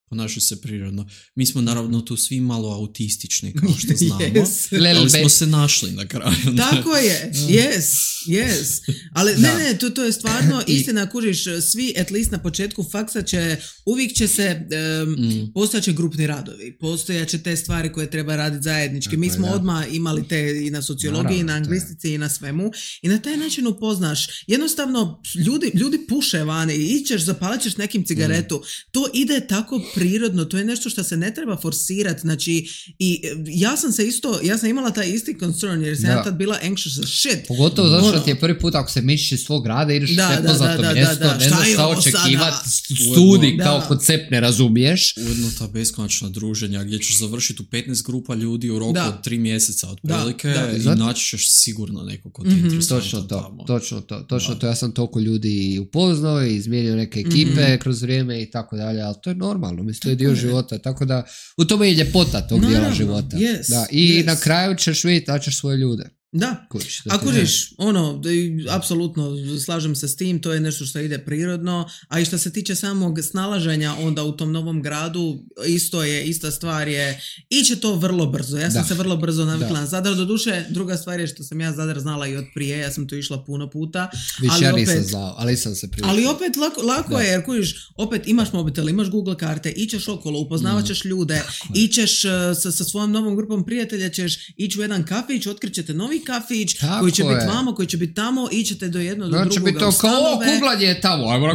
ponašaju se prirodno. Mi smo naravno tu svi malo autistični, kao što znamo. Ali smo se našli na kraju. Tako je. Yes. Ali ne, to je stvarno istina, kužiš, svi, at least na početku faksa uvijek će se postojaće grupni radovi, postojaće te stvari koje treba raditi zajednički. Tako mi smo odmah imali te i na sociologiji, i na anglistici, i na svemu. I na taj način upoznaš. Jednostavno, ljudi puše vani, ićeš, zapalit ćeš nekim cigaretu. To ide tako prirodno, to je nešto što se ne treba forsirati, znači, i ja sam imala taj isti concern, jer sam ja tad bila anxious as shit. Pogotovo zato što ti je prvi put ako se mišiš iz svog rada, ideš u nepoznato mjesto, ne znaš šta očekivati, studij kao koncept ne razumiješ. Ujedno ta beskonačna druženja gdje ćeš završiti u 15 grupa ljudi u roku od 3 mjeseca otprilike i naći ćeš sigurno neko ko ti je interesantan tamo. Točno to, ja sam toliko ljudi upoznao i izmijenio neke ekipe kroz vrijeme i tako dalje, ali to je normalno, mislim, to je dio života, tako da u tome je ljepota tog dijela života. I na kraju ćeš vidjeti da ćeš svoje ljude. Da, ako žiš, apsolutno slažem se s tim, to je nešto što ide prirodno, a i što se tiče samog snalaženja onda u tom novom gradu, ista stvar je, iće to vrlo brzo, ja sam se vrlo brzo navikla na Zadar, doduše, druga stvar je što sam ja Zadar znala i od prije, ja sam tu išla puno puta, nisam znao, ali sam se prije. Ali opet lako je, jer kužiš, opet imaš mobitel, imaš Google karte, ićeš okolo, upoznavat ćeš ljude, ićeš sa svojom novom grupom prijatelja, ćeš ići u jedan kafić, otkrićete novi kafić, koji će biti vamo, koji će biti tamo, ićete do jednog do drugoga biti to kao kuglanje je tamo, ajmo na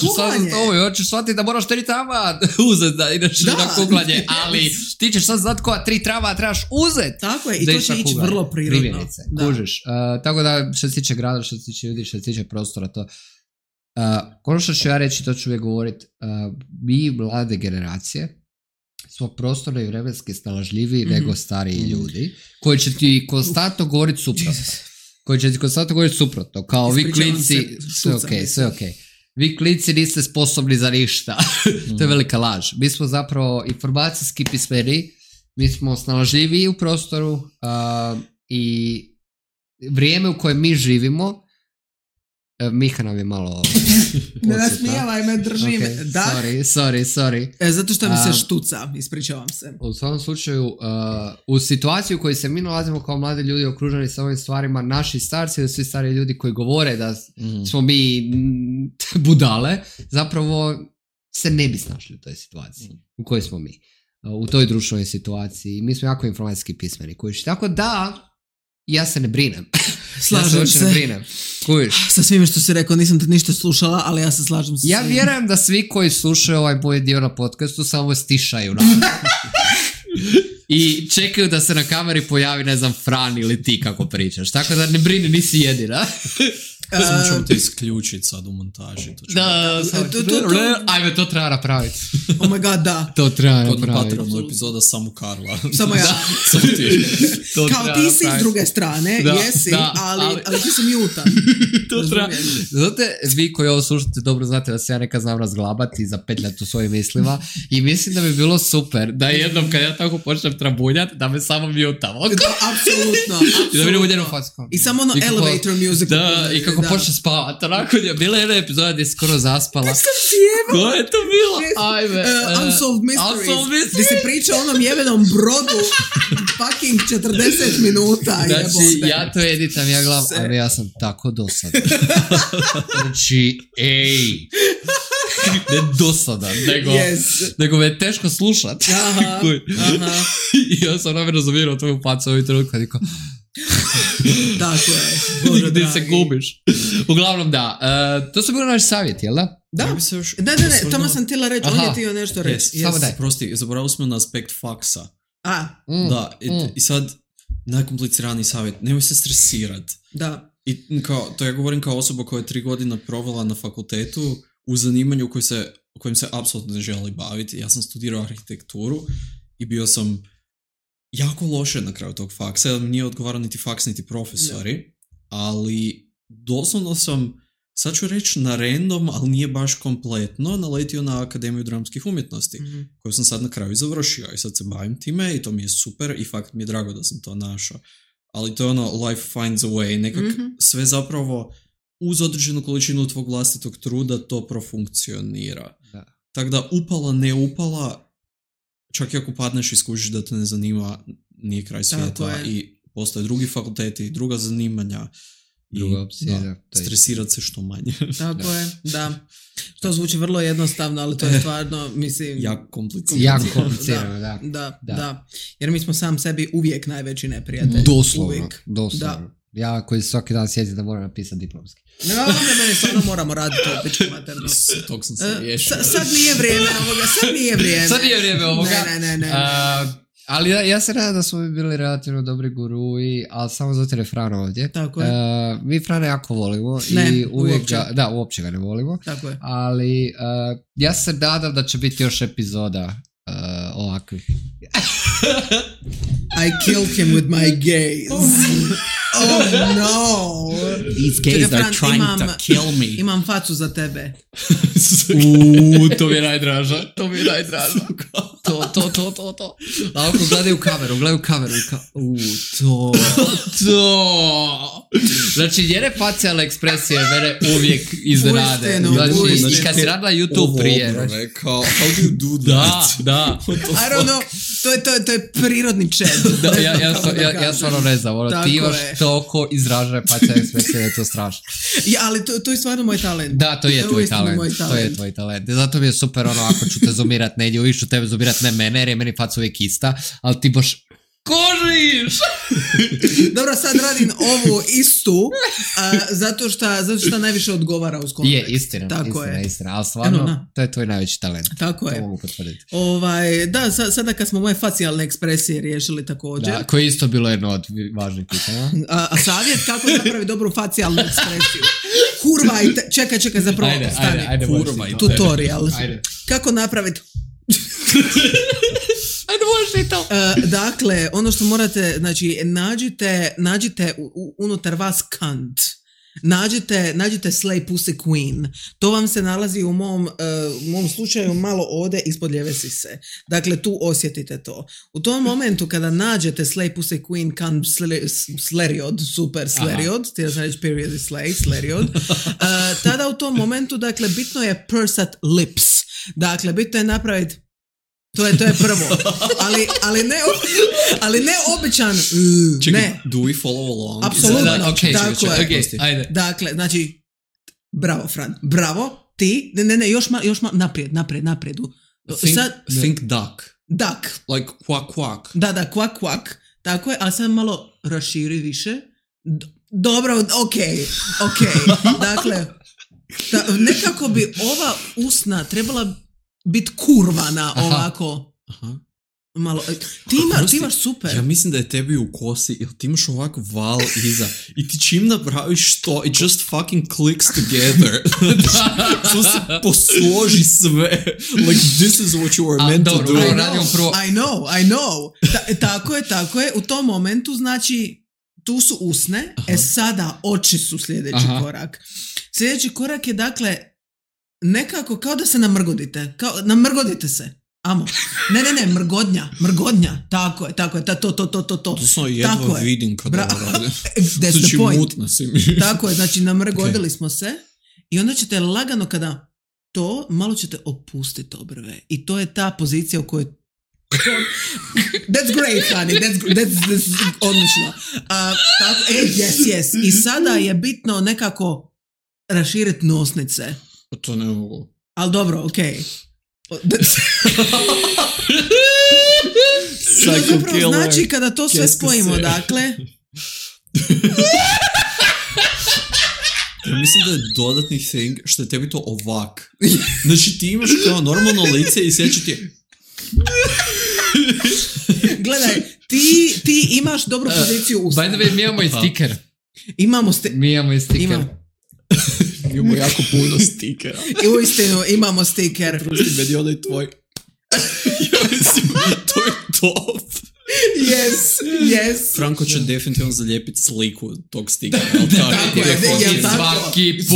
kuglanje, hoćeš shvatiti da moraš 3 trava uzeti da ideš na kuglanje, ali ti ćeš sad znati koja 3 trava trebaš uzeti. Tako je, i to će ići vrlo prirodno. Kužiš, tako da što se tiče grada, što se tiče ljudi, što se tiče prostora, to ono što ću ja reći, to ću uvijek govoriti, mi mlade generacije smo prostorno i vremenski snalažljiviji nego stariji ljudi, koji će ti konstantno govoriti suprotno. Kao vi klinci, sve ok. Vi klinci niste sposobni za ništa. To je velika laž. Mi smo zapravo informacijski pismeni, mi smo snalažljiviji u prostoru i vrijeme u kojem mi živimo, Miha nam je malo... Ne nasmijevaj me, drži me. Sorry. Zato što mi se štuca, ispričavam se. U svakom slučaju, u situaciju u kojoj se mi nalazimo kao mladi ljudi okruženi sa ovim stvarima, naši starci ili svi stari ljudi koji govore da smo mi budale, zapravo se ne bi snašli u toj situaciji u kojoj smo mi. U toj društvenoj situaciji. Mi smo jako informacijski pismeni. Tako da, ja se ne brinem. Slažem se. Sa svime što si rekao, nisam te ništa slušala, ali ja se slažem se. Ja vjerujem da svi koji slušaju ovaj moj dio na podcastu samo stišaju i čekaju da se na kameri pojavi, ne znam, Fran ili ti kako pričaš. Tako da ne brini, nisi jedina. Samo ćemo te isključiti sad u montaži. Ajme, to treba napraviti. Oh my god, da. To treba napraviti. Kod Patreonu epizoda samo Karla. Samo ja. Samo ti. Kao ti si s druge strane, jesi, ali ti si mutan. To treba. Znate, vi koji ovo slušate dobro znate da se ja nekad znam razglabati i zapetljati u svojim mislima i mislim da bi bilo super da jednom kad ja tako počnem trabunjati, da me samo mutamo. Apsolutno. I da vidim u njenu facu. I samo ono elevator music. Da, i kako počne spavati. Onako je bila jedna epizoda gdje je skoro zaspala. Kako sam sjebala? Ko je to bilo? Ajme. Unsolved Mysteries. Gdje se priča o onom jebenom brodu fucking 40 minuta. Znači, ja to editam, ja gledam, ali ja sam tako dosadan. Znači, ne dosadan, nego me je teško slušat. I ja sam namjerno zavirao tvoju facu ovih trenutka. Tako je. Bože dragi. Gdje se gubiš. Uglavnom da. To su bili naši savjeti, jel da? Da. Ne, tamo sam htjela reći, on je htio nešto reći. Samo daj. Prosti, zaboravili smo na aspekt faksa. Da, i sad najkompliciraniji savjet, nemoj se stresirat. Da. I to ja govorim kao osoba koja je 3 godine provela na fakultetu u zanimanju kojim se apsolutno ne želi baviti. Ja sam studirao arhitekturu i bio sam jako loše na kraju tog faksa, nije odgovarao niti faks, niti profesori, ali doslovno sam, sad ću reći na random, ali nije baš kompletno, naletio na Akademiju dramskih umjetnosti, koju sam sad na kraju završio i sad se bavim time i to mi je super i fakt mi je drago da sam to našao. Ali to je ono, life finds a way, nekak sve zapravo uz određenu količinu tvog vlastitog truda to profunkcionira. Tako da upala, ne upala, čak i ako padneš i skužiš da te ne zanima, nije kraj svijeta i postoje drugi fakulteti, druga zanimanja. Druga opcija, stresirat se što manje. Tako je, da. To zvuči vrlo jednostavno, ali to je stvarno, mislim... jako komplicirano. Da. Jer mi smo sam sebi uvijek najveći neprijatelj. Doslovno. Ja koji svaki dan sjetim da moram napisati diplomski. Ne, meni stvarno moramo raditi to pičku materno. Tog sam se riješio. Sad nije vrijeme ovoga. Ne. Ali ja se nadam da smo mi bili relativno dobri guruji, ali samo zato je Frano ovdje. Tako je. Mi Frana jako volimo i uvijek uopće ga ne volimo. Tako je. Ali ja se nadam da će biti još epizoda ovakvih. I killed him with my gaze. Oh no! These gays are trying to kill me. Imam facu za tebe. To mi je najdraža. To. A ako gledaju kameru to. Znači, njene facijalne ekspresije mene uvijek iznenade. Znači, kad si radila YouTube prije. How do you do that? Da. I don't know. To je prirodni chat. Ja stvarno ne znam. Ti imaš toliko izražene facijalne ekspresije da je to strašno. Ja, ali to je stvarno moj talent. Da, to je tvoj talent. Zato mi je super ako ću te zoomirat negdje, uvijek ću tebe zoomirat ne mene, jer je meni faca uvijek ista, ali ti baš kožiš! Dobro, sad radim ovu istu, zato što najviše odgovara uz kontekst. Je, istina, ali stvarno, to je tvoj najveći talent. Tako je. To mogu potvrditi. Da, sada kad smo moje facijalne ekspresije riješili također. Da, koje je isto bilo jedno od važnih pitanja. A savjet kako napravi dobru facijalnu ekspresiju? Kurvajte, čekaj, zapravo stani. Ajde, tutorial. Kako napraviti... Ajde, možeš i to. Dakle, ono što morate, znači, nađite unutar vas kant. Nađite Slay Pussy Queen. To vam se nalazi u mom slučaju malo ovdje ispod lijeve sise. Dakle, tu osjetite to. U tom momentu kada nađete Slay Pussy Queen kant sleriod, super sleriod, ti da sam reći period is sleriod, tada u tom momentu, dakle, bitno je pursat lips. Dakle, bitno je napraviti to je prvo. Ali ne običan. Čekaj, ne. Do we follow along? Apsolutno. Okay, ajde. Dakle, znači, bravo, Fran. Bravo, ti. Ne, još naprijed. Think duck. Duck. Like quack quack. Da, quack quack. Tako je, ali sad malo raširi više. Dobro, okej. Dakle, nekako bi ova usna trebala biti kurvana ovako. Aha. Malo. Ti imaš super. Ja mislim da je tebi u kosi, jer ti imaš ovako val iza i ti čim napraviš to, it just fucking clicks together. To se posloži sve. Like, this is what you were meant to do. I know. Tako je. U tom momentu, znači, tu su usne, sada oči su sljedeći korak. Sljedeći korak je, dakle, nekako kao da se namrgodite. Namrgodite se. Amo. Ne, mrgodnja. Tako je, to. To sam jedva vidim kada radim. That's the point. Si Tako je, znači namrgodili smo se i onda ćete lagano kada to, malo ćete opustiti obrve. I to je ta pozicija u kojoj That's great, honey. That's odlično. Yes. I sada je bitno nekako raširiti nosnice. To ne mogu. Ali dobro, okej. Zapravo znači kada to sve spojimo, dakle... Ja mislim da je dodatni thing što je tebi to ovak. Znači ti imaš kao normalno lice i sjeća ti... Gledaj, ti imaš dobru poziciju usta. By the way, mi imamo i stiker. Mi imamo stiker. Imamo jako puno stikera. I uistinu imamo stiker. Prosti, meni onaj tvoj. Ja mislim, to je top. Yes. Franko će definitivno zalijepiti sliku tog stika.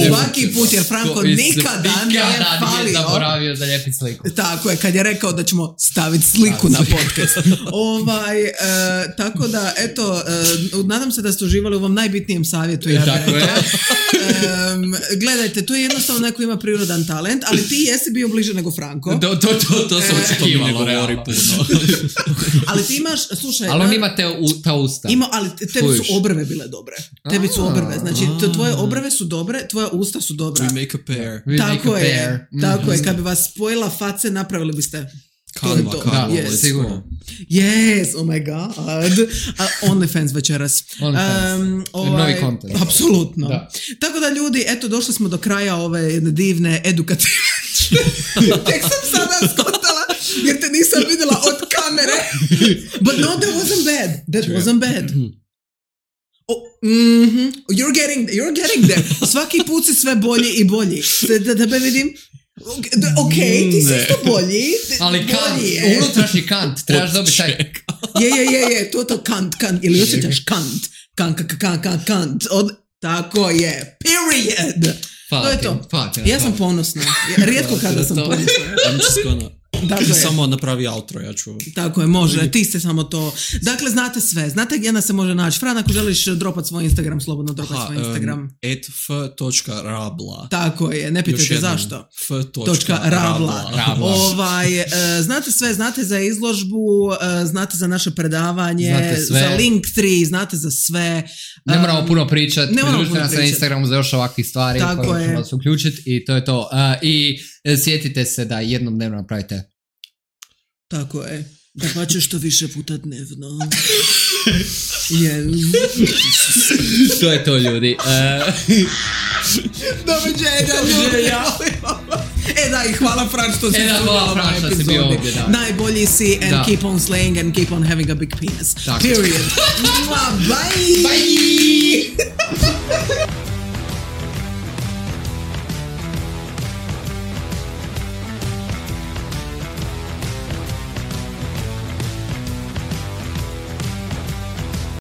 Svaki put, jer Franko nikada nije falio. Zaboravio zalijepiti sliku. Tako je, kad je rekao da ćemo staviti sliku na podcast. Tako da, eto, nadam se da ste uživali u ovom najbitnijem savjetu. Gledajte, to je jednostavno neko ima prirodan talent, ali ti jesi bio bliže nego Franko. To sam očekivalo. Ali ti imaš, slušaj... Ali on ima ta usta. Ali tebi su obrve bile dobre. Tebi su obrve. Znači, tvoje obrve su dobre, tvoja usta su dobra. We make a pair. Tako je. Kad bi vas spojila face, napravili biste... Kanva, sigurno. Yes, oh my god. OnlyFans večeras. Novi content. Apsolutno. Tako da ljudi, eto, došli smo do kraja ove jedne divne edukativne. Tek sam sada skotala, jer te nisam vidjela od kamere. But no, that wasn't bad. You're getting there. Svaki put si sve bolji i bolji. Da me vidim. Ok, ti si isto bolji. Ali kant, unutrašnji kant, trebaš dobiti taj... Je, to kant, ili osjećaš kant. Kant. Tako je, period. To je to. Ja sam ponosna. Rijetko kada sam ponosna. I'm just gonna... Dakle, samo napravi outro, ja ću... Tako je, može, ti ste samo to. Dakle, znate sve, znate gdje nas se može naći. Fran, ako želiš dropat svoj Instagram, slobodno dropaj svoj Instagram. @f.rabla. Tako je, ne pitajte zašto. f.rabla. Znate sve, znate za izložbu, znate za naše predavanje, za Linktree, znate za sve. Ne moramo puno pričati, pridružite nas na Instagramu za još ovakvih stvari koje ćemo vas uključiti i to je to. I sjetite se da jednom dnevno napravite. Tako je. Da pa će što više puta dnevno. To je to, ljudi. Doviđenja. I hvala Fran što si bio ovdje. Najbolji si and keep on slaying and keep on having a big penis. Period. Bye.